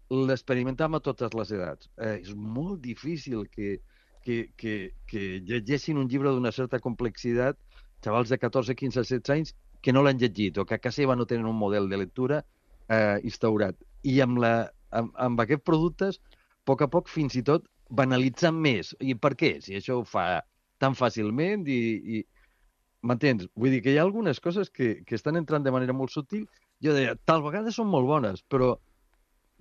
l'experimentem a totes les edats. Eh, és molt difícil que, que, que, que llegeixin un llibre d'una certa complexitat xavals de catorze, quinze, setze anys que no l'han llegit o que a casa seva no tenen un model de lectura eh, instaurat. I amb, la, amb, amb aquests productes, a poc a poc, fins i tot, banalitzen més. I per què? Si això ho fa tan fàcilment i... i m'entens? Vull dir que hi ha algunes coses que, que estan entrant de manera molt sutil. Jo deia, tal vegada són molt bones, però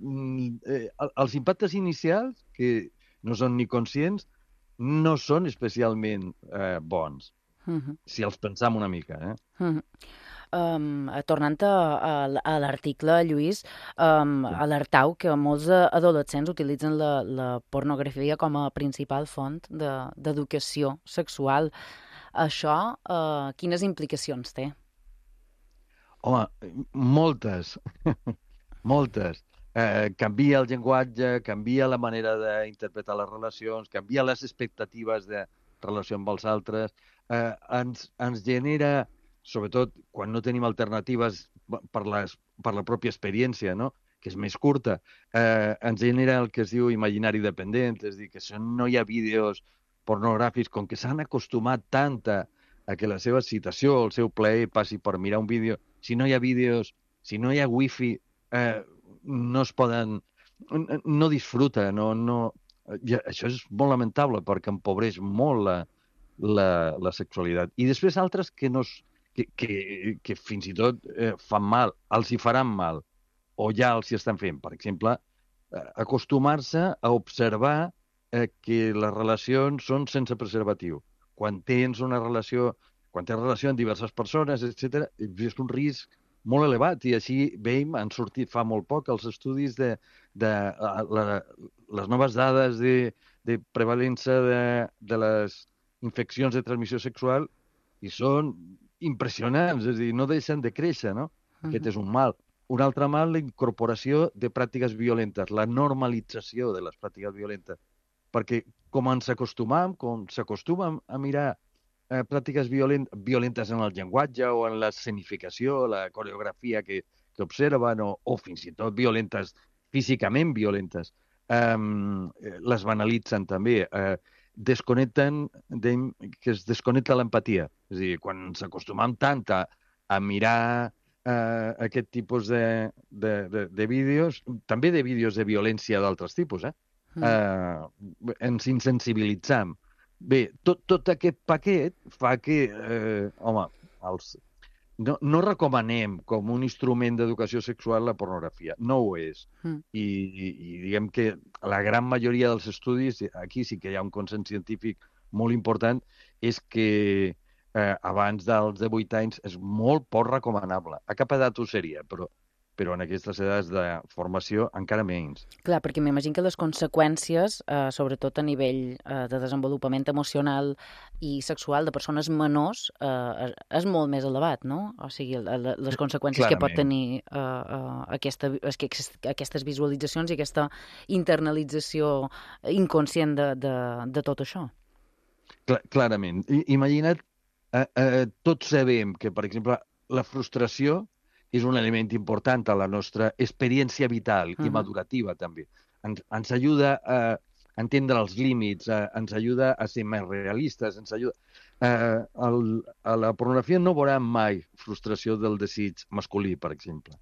mm, eh, els impactes inicials, que no són ni conscients, no són especialment eh, bons, uh-huh. si els pensam una mica. Eh? Uh-huh. Um, tornant a, a, a l'article, Lluís, um, alertau que molts adolescents utilitzen la, la pornografia com a principal font d'educació de, sexual. Això, uh, quines implicacions té? Home, moltes, moltes. Eh, canvia el llenguatge, canvia la manera d'interpretar les relacions, canvia les expectatives de relació amb els altres, eh, ens, ens genera, sobretot quan no tenim alternatives per, les, per la pròpia experiència, no? Que és més curta, eh, ens genera el que es diu imaginari dependent, és a dir, que si no hi ha vídeos pornogràfics, com que s'han acostumat tant a, a que la seva excitació, el seu plaer passi per mirar un vídeo, si no hi ha vídeos, si no hi ha wifi, eh, no es poden... no disfruta, no... no ja, això és molt lamentable perquè empobreix molt la, la, la sexualitat. I després altres que no... Que, que, que fins i tot eh, fan mal, els hi faran mal, o ja els hi estan fent. Per exemple, eh, acostumar-se a observar eh, que les relacions són sense preservatiu. Quan tens una relació, quan tens relació amb diverses persones, etcètera, és un risc molt elevat, i així veiem, han sortit fa molt poc els estudis de, de la, les noves dades de, de prevalença de, de les infeccions de transmissió sexual, i són impressionants, és a dir, no deixen de créixer, no? Uh-huh. Aquest és un mal. Un altre mal, la incorporació de pràctiques violentes, la normalització de les pràctiques violentes. Perquè com ens acostumam, com s'acostumem a mirar eh, pràctiques violent, violentes en el llenguatge o en l'escenificació, la coreografia que, que observen, o, o fins i tot violentes, físicament violentes, eh, les banalitzen també, eh, desconnecten, de, que es desconnecta l'empatia. És a dir, quan ens acostumam tant a, a mirar eh, aquest tipus de, de, de, de vídeos, també de vídeos de violència d'altres tipus, eh? Mm. Eh, ens insensibilitzam. Bé, tot, tot aquest paquet fa que, eh, home, els, no, no recomanem com un instrument d'educació sexual la pornografia. No ho és. Mm. I, i, I diguem que la gran majoria dels estudis, aquí sí que hi ha un consens científic molt important, és que eh, abans dels divuit anys és molt poc recomanable. A cap edat ho seria, però però en aquestes edats de formació encara menys. Clar, perquè m'imagino que les conseqüències, eh, sobretot a nivell eh, de desenvolupament emocional i sexual de persones menors, eh, és molt més elevat, no? O sigui, les conseqüències Clarament. que pot tenir eh, eh, aquesta, aquestes visualitzacions i aquesta internalització inconscient de, de, de tot això. Clar, clarament. I, imagina't, eh, eh, tots sabem que, per exemple, la frustració és un element important a la nostra experiència vital i madurativa, també. Ens, ens ajuda a entendre els límits, a, ens ajuda a ser més realistes, ens ajuda... Eh, el, a la pornografia no veurem mai frustració del desig masculí, per exemple.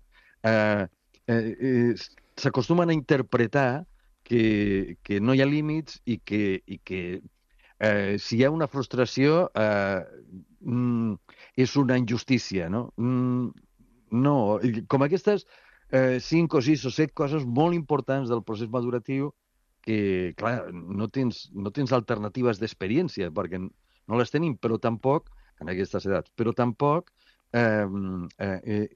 Eh, eh, eh, S'acostumen a interpretar que, que no hi ha límits i que, i que eh, si hi ha una frustració... Eh, és una injustícia, no? Mm, no, com aquestes eh, cinc o sis o set coses molt importants del procés maduratiu que, clar, no tens, no tens alternatives d'experiència, perquè no les tenim, però tampoc, en aquestes edats, però tampoc eh, eh,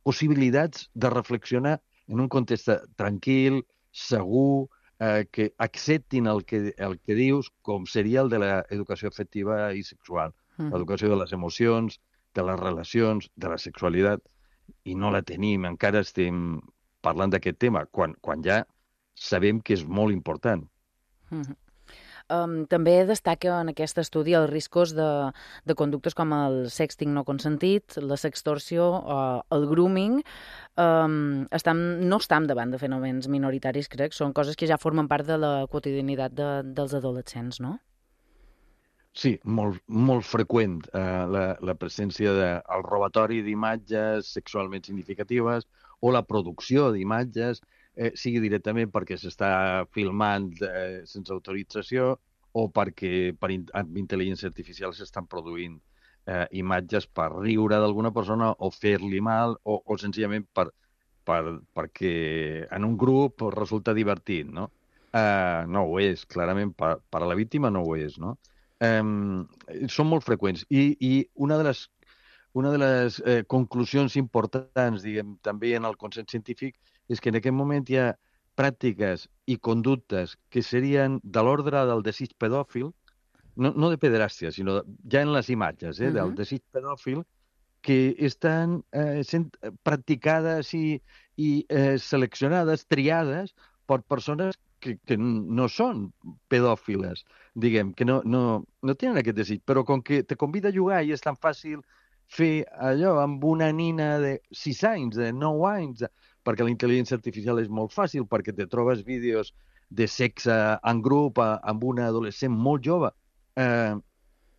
possibilitats de reflexionar en un context tranquil, segur, eh, que acceptin el que, el que dius, com seria el de l'educació afectiva i sexual, Mhm. l'educació de les emocions, de les relacions, de la sexualitat, i no la tenim, encara estem parlant d'aquest tema, quan, quan ja sabem que és molt important. Mhm. Um, també destaca en aquest estudi els riscos de, de conductes com el sexting no consentit, la sextorsió, uh, el grooming. Um, estam, no estem davant de fenòmens minoritaris, crec. Són coses que ja formen part de la quotidianitat de, dels adolescents, no? Sí, molt, molt freqüent eh, la, la presència del robatori d'imatges sexualment significatives o la producció d'imatges, eh, sigui directament perquè s'està filmant eh, sense autorització o perquè per in amb intel·ligència artificial s'estan produint eh, imatges per riure d'alguna persona o fer-li mal o, o senzillament per, per, perquè en un grup resulta divertit, no? Eh, no ho és, clarament, per, per a la víctima no ho és, no? Um, són molt freqüents i, i una de les, una de les eh, conclusions importants, diguem, també en el consens científic és que en aquest moment hi ha pràctiques i conductes que serien de l'ordre del desig pedòfil, no, no de pederàstia, sinó de, ja en les imatges, eh, uh-huh. del desig pedòfil, que estan eh, sent practicades i, i eh, seleccionades, triades per persones que, que no són pedòfiles, diguem, que no, no, no tenen aquest desig, però com que te convida a jugar i és tan fàcil fer allò amb una nina de sis anys, de nou anys, perquè la intel·ligència artificial és molt fàcil, perquè te trobes vídeos de sexe en grup amb una adolescent molt jove. Eh,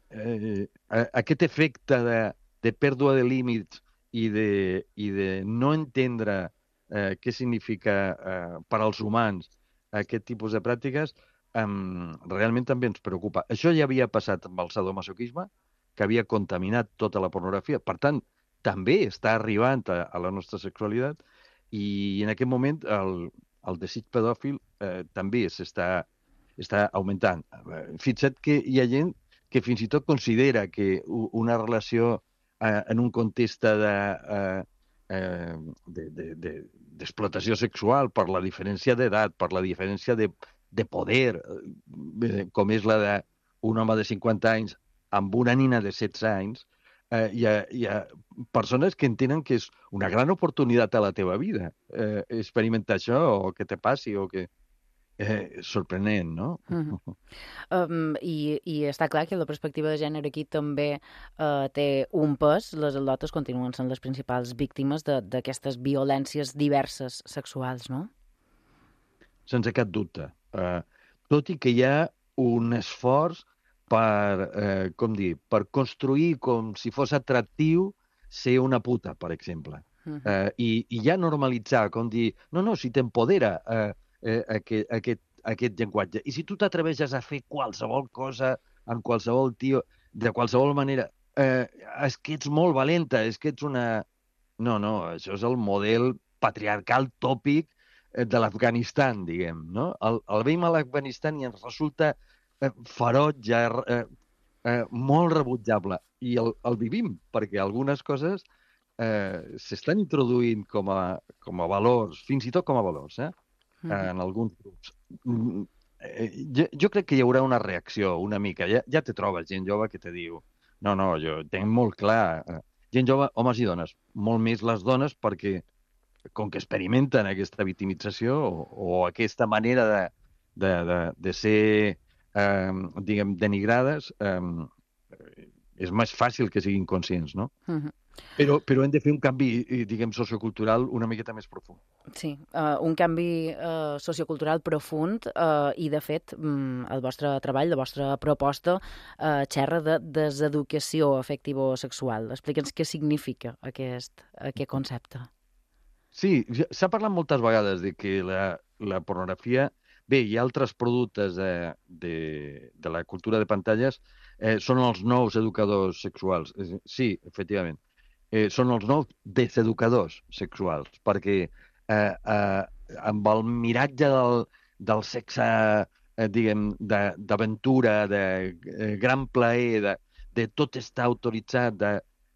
eh, aquest efecte de, de pèrdua de límits i de, i de no entendre eh, què significa eh, per als humans aquest tipus de pràctiques, um, realment també ens preocupa. Això ja havia passat amb el sadomasoquisme, que havia contaminat tota la pornografia. Per tant, també està arribant a, a la nostra sexualitat i en aquest moment el, el desig pedòfil eh, també s'està està augmentant. Fixa't que hi ha gent que fins i tot considera que una relació eh, en un context de... Eh, Eh, de, de, de, d'explotació sexual per la diferència d'edat, per la diferència de, de poder, eh, com és la d'un home de cinquanta anys amb una nina de setze anys, eh, hi, ha, hi ha persones que entenen que és una gran oportunitat a la teva vida eh, experimentar això o que te passi o que... Eh, sorprenent, no? Uh-huh. um, i, I està clar que la perspectiva de gènere aquí també uh, té un pes. Les al·lotes continuen sent les principals víctimes d'aquestes violències diverses sexuals, no? Sense cap dubte. Uh, tot i que hi ha un esforç per, eh, com dir, per construir com si fos atractiu ser una puta, per exemple. Uh-huh. uh, i, I ja normalitzar, com dir, no, no, si t'empodera... Eh, Eh, aquest, aquest, aquest llenguatge. I si tu t'atreveixes a fer qualsevol cosa amb qualsevol tio, de qualsevol manera, eh, és que ets molt valenta, és que ets una... No, no, això és el model patriarcal tòpic de l'Afganistan, diguem, no? El, el veiem a l'Afganistan i ens resulta eh, ferotge, eh, eh, molt rebutjable. I el, el vivim, perquè algunes coses eh, s'estan introduint com a, com a valors, fins i tot com a valors, eh? en alguns grups. Jo, jo crec que hi haurà una reacció una mica. Ja, ja te trobes gent jove que te diu no, no, jo tenc molt clar. Gent jove, homes i dones. Molt més les dones perquè com que experimenten aquesta victimització o, o aquesta manera de, de, de, de ser eh, diguem, denigrades eh, és més fàcil que siguin conscients, no? Uh-huh. Però, però hem de fer un canvi, diguem, sociocultural una miqueta més profund. Sí, uh, un canvi uh, sociocultural profund uh, i, de fet, um, el vostre treball, la vostra proposta, uh, xerra de deseducació afectivo-sexual. Explica'ns què significa aquest, aquest concepte. Sí, s'ha parlat moltes vegades de que la, la pornografia bé, hi ha altres productes de, de, de la cultura de pantalles, eh, són els nous educadors sexuals. Sí, efectivament. Eh, són els nous deseducadors sexuals, perquè eh, eh, amb el miratge del, del sexe, eh, diguem, d'aventura, de, de eh, gran plaer, de, de tot estar autoritzat, de,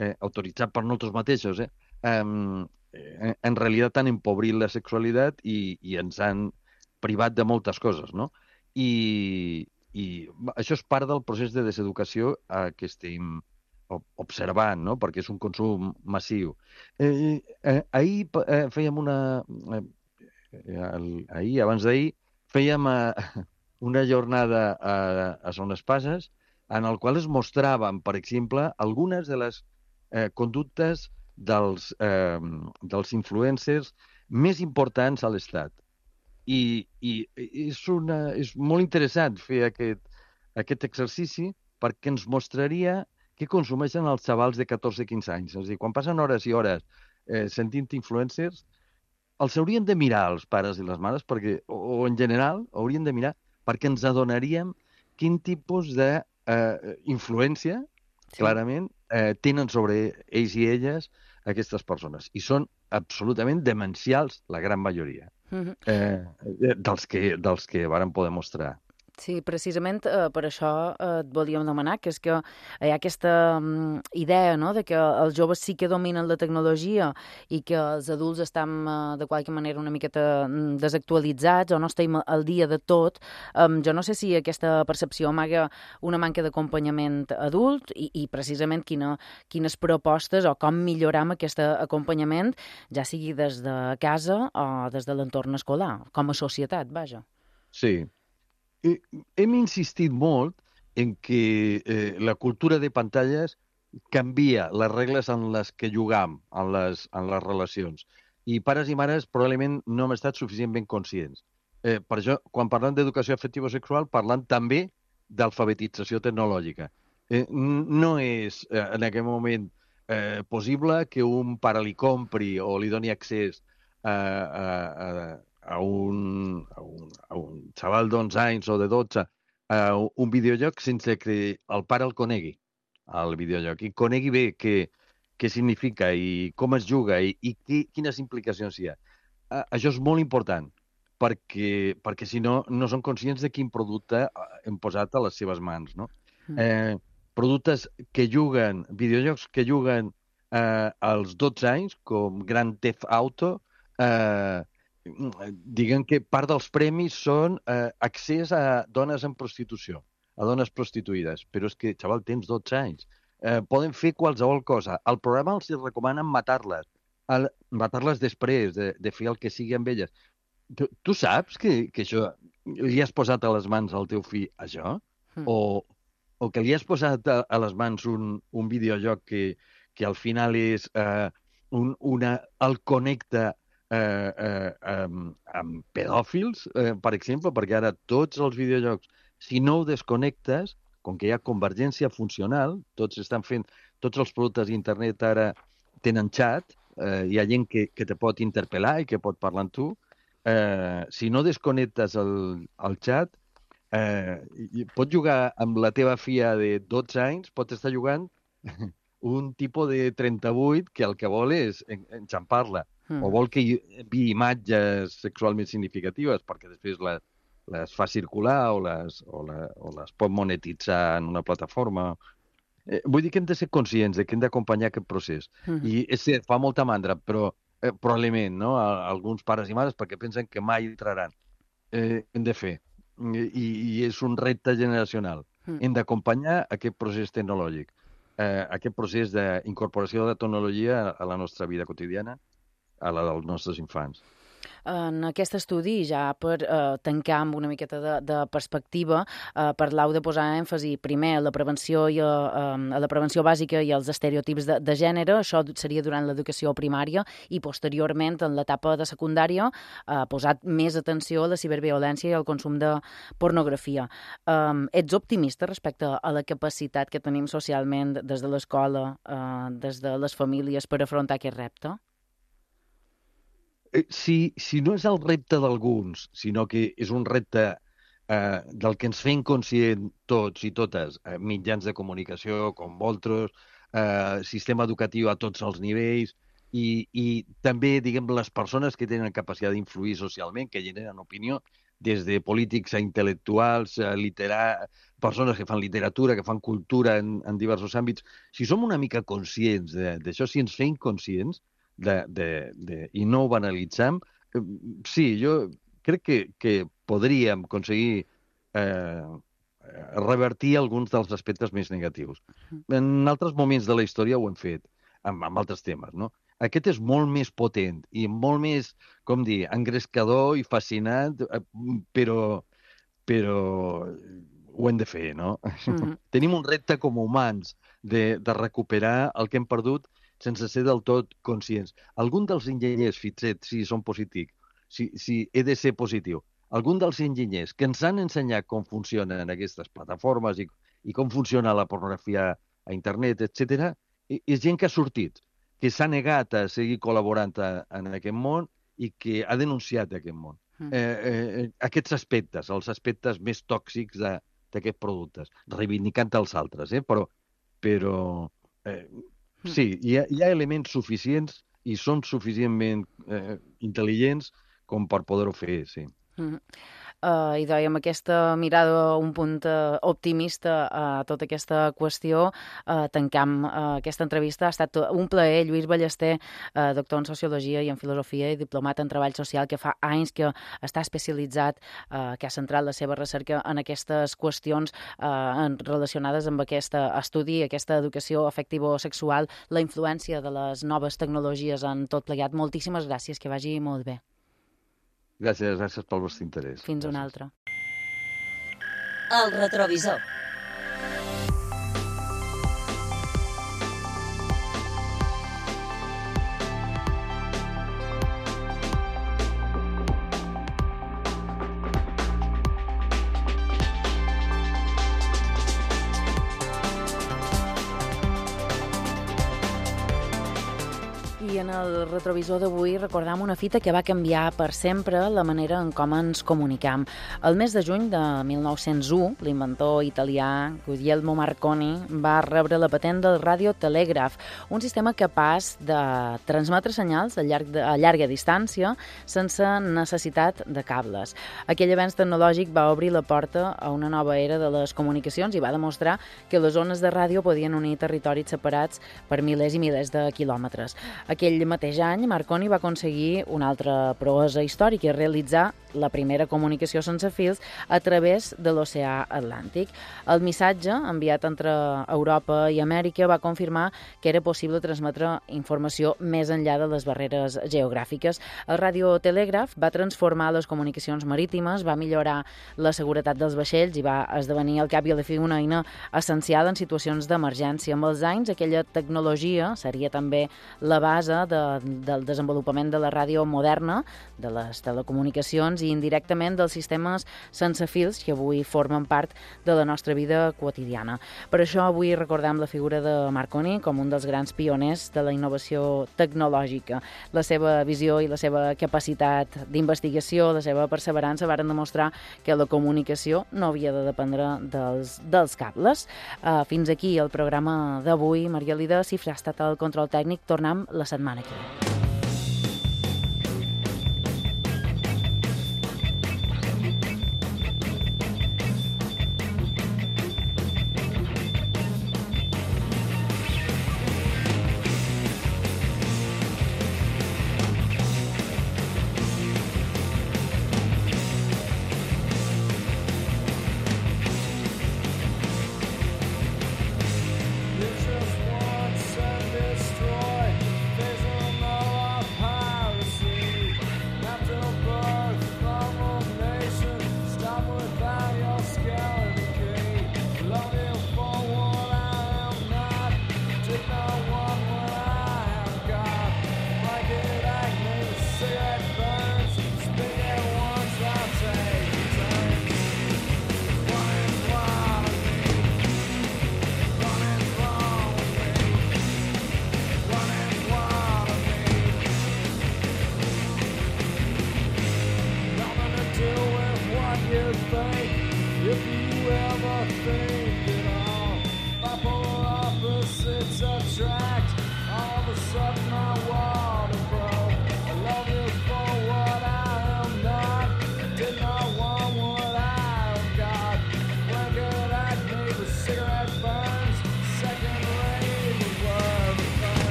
eh, autoritzat per nosaltres mateixos, eh, eh, en realitat han empobrit la sexualitat i, i ens han privat de moltes coses, no? I, i això és part del procés de deseducació eh, que estem observant, no? Perquè és un consum massiu. Eh, eh, ahir eh, fèiem una... Eh, ahir, abans d'ahir, fèiem eh, una jornada a, a Son Espases en el qual es mostraven, per exemple, algunes de les eh, conductes dels, eh, dels influencers més importants a l'Estat. I, i és, una, és molt interessant fer aquest, aquest exercici perquè ens mostraria què consumeixen els xavals de catorze a quinze anys. És a dir, quan passen hores i hores eh, sentint influencers, els haurien de mirar els pares i les mares, perquè, o, o en general haurien de mirar, perquè ens adonaríem quin tipus de eh, influència, sí. clarament, eh, tenen sobre ells i elles aquestes persones. I són absolutament demencials, la gran majoria, mm-hmm. eh, dels que, dels que varen poder mostrar. Sí, precisament eh, per això eh, et volíem demanar, que és que hi ha aquesta um, idea, no?, de que els joves sí que dominen la tecnologia i que els adults estan eh, de qualque manera una miqueta desactualitzats o no estem al dia de tot. Um, jo no sé si aquesta percepció amaga una manca d'acompanyament adult i, i precisament quina, quines propostes o com milloram aquest acompanyament, ja sigui des de casa o des de l'entorn escolar, com a societat, vaja. Sí. Hem insistit molt en que eh, la cultura de pantalles canvia les regles en les que jugam, en les, en les relacions. I pares i mares probablement no hem estat suficientment conscients. Eh, per això, quan parlem d'educació afectivo-sexual, parlant també d'alfabetització tecnològica. Eh, no és eh, en aquest moment eh, possible que un pare li compri o li doni accés a, a, a a un, a un, a un xaval d'onze anys o de dotze a un videojoc sense que el pare el conegui, el videojoc, i conegui bé què, què significa i com es juga i, i qui, quines implicacions hi ha. Això és molt important, perquè, perquè si no, no són conscients de quin producte hem posat a les seves mans, no? Mm. Eh, productes que juguen, videojocs que juguen eh, als dotze anys, com Grand Theft Auto, eh, diguen que part dels premis són eh, accés a dones en prostitució, a dones prostituïdes. Però és que, xaval, tens dotze anys. Eh, poden fer qualsevol cosa. Al programa els recomanen matar-les. El, matar-les després de, de fer el que sigui amb elles. Tu, tu saps que, que això li has posat a les mans al teu fill això? Mm. O, o que li has posat a, a les mans un, un videojoc que, que al final és eh, un, una, el connecta Eh, eh, amb, amb pedòfils, eh, per exemple, perquè ara tots els videojocs, si no ho desconnectes, com que hi ha convergència funcional, tots estan fent, tots els productes d'internet ara tenen xat, eh, hi ha gent que, que te pot interpel·lar i que pot parlar amb tu, eh, si no desconnectes el, el xat, eh, pots jugar amb la teva filla de dotze anys, pots estar jugant un tipus de trenta-vuit que el que vol és enxampar-la. Mm. O vol que hi havia imatges sexualment significatives perquè després les, les fa circular o les, o, la, o les pot monetitzar en una plataforma. Eh, vull dir que hem de ser conscients de que hem d'acompanyar aquest procés. Mm. I és cert, fa molta mandra, però eh, probablement, no?, a, a alguns pares i mares perquè pensen que mai entraran. Eh, hem de fer. I, i és un repte generacional. Mm. Hem d'acompanyar aquest procés tecnològic, eh, aquest procés d'incorporació de la tecnologia a la nostra vida quotidiana, a la dels nostres infants. En aquest estudi, ja per eh, tancar amb una miqueta de, de perspectiva, eh, parlau de posar èmfasi primer a la prevenció i a, a la prevenció bàsica i als estereotips de, de gènere. Això seria durant l'educació primària i posteriorment en l'etapa de secundària eh, posat més atenció a la ciberviolència i al consum de pornografia. Eh, ets optimista respecte a la capacitat que tenim socialment des de l'escola, eh, des de les famílies per afrontar aquest repte? si, si no és el repte d'alguns, sinó que és un repte eh, del que ens fem conscient tots i totes, eh, mitjans de comunicació com vosaltres, eh, sistema educatiu a tots els nivells, i, i també, diguem, les persones que tenen capacitat d'influir socialment, que generen opinió, des de polítics a intel·lectuals, a literar, persones que fan literatura, que fan cultura en, en diversos àmbits. Si som una mica conscients d'això, si ens fem conscients de, de, de, i no ho banalitzem, eh, sí, jo crec que, que podríem aconseguir eh, revertir alguns dels aspectes més negatius. En altres moments de la història ho hem fet, amb, amb altres temes, no? Aquest és molt més potent i molt més, com dir, engrescador i fascinant, però, però ho hem de fer, no? Mm-hmm. Tenim un repte com a humans de, de recuperar el que hem perdut sense ser del tot conscients. Algun dels enginyers, fixet, si són positius, si, si he de ser positiu, algun dels enginyers que ens han ensenyat com funcionen aquestes plataformes i, i com funciona la pornografia a internet, etcètera, és gent que ha sortit, que s'ha negat a seguir col·laborant a, en aquest món i que ha denunciat aquest món. Mm. Eh, eh, aquests aspectes, els aspectes més tòxics d'aquests productes, reivindicant els altres, eh? però, però eh, mm. sí, hi ha, hi ha elements suficients i són suficientment eh, intel·ligents com per poder-ho fer, sí. Mm. Uh, I amb aquesta mirada un punt uh, optimista a tota aquesta qüestió, uh, tancam uh, aquesta entrevista. Ha estat un plaer. Lluís Ballester, uh, doctor en Sociologia i en Filosofia i diplomat en Treball Social, que fa anys que està especialitzat, uh, que ha centrat la seva recerca en aquestes qüestions uh, relacionades amb aquest estudi, aquesta educació afectivo-sexual, la influència de les noves tecnologies en tot plegat. Moltíssimes gràcies, que vagi molt bé. Gràcies, gràcies pel vostre interès. Fins una altra. El retrovisor. I en el retrovisor d'avui recordam una fita que va canviar per sempre la manera en com ens comunicam. El mes de juny de mil nou-cents u, l'inventor italià Guglielmo Marconi va rebre la patent del radiotelegraf, un sistema capaç de transmetre senyals a, llarg de, a llarga distància sense necessitat de cables. Aquell avenç tecnològic va obrir la porta a una nova era de les comunicacions i va demostrar que les ones de ràdio podien unir territoris separats per milers i milers de quilòmetres. Aquell mateix any, Marconi va aconseguir una altra proesa històrica, realitzar la primera comunicació sense fils a través de l'oceà Atlàntic. El missatge, enviat entre Europa i Amèrica, va confirmar que era possible transmetre informació més enllà de les barreres geogràfiques. El radiotelegraf va transformar les comunicacions marítimes, va millorar la seguretat dels vaixells i va esdevenir al cap i a la fi una eina essencial en situacions d'emergència. Amb els anys, aquella tecnologia seria també la base de, del desenvolupament de la ràdio moderna, de les telecomunicacions i indirectament dels sistemes sense fils que avui formen part de la nostra vida quotidiana. Per això avui recordem la figura de Marconi com un dels grans pioners de la innovació tecnològica. La seva visió i la seva capacitat d'investigació, la seva perseverança varen demostrar que la comunicació no havia de dependre dels, dels cables. Uh, fins aquí el programa d'avui. Maria Lida Cifra ha estat el control tècnic. Tornem la setmana que ve.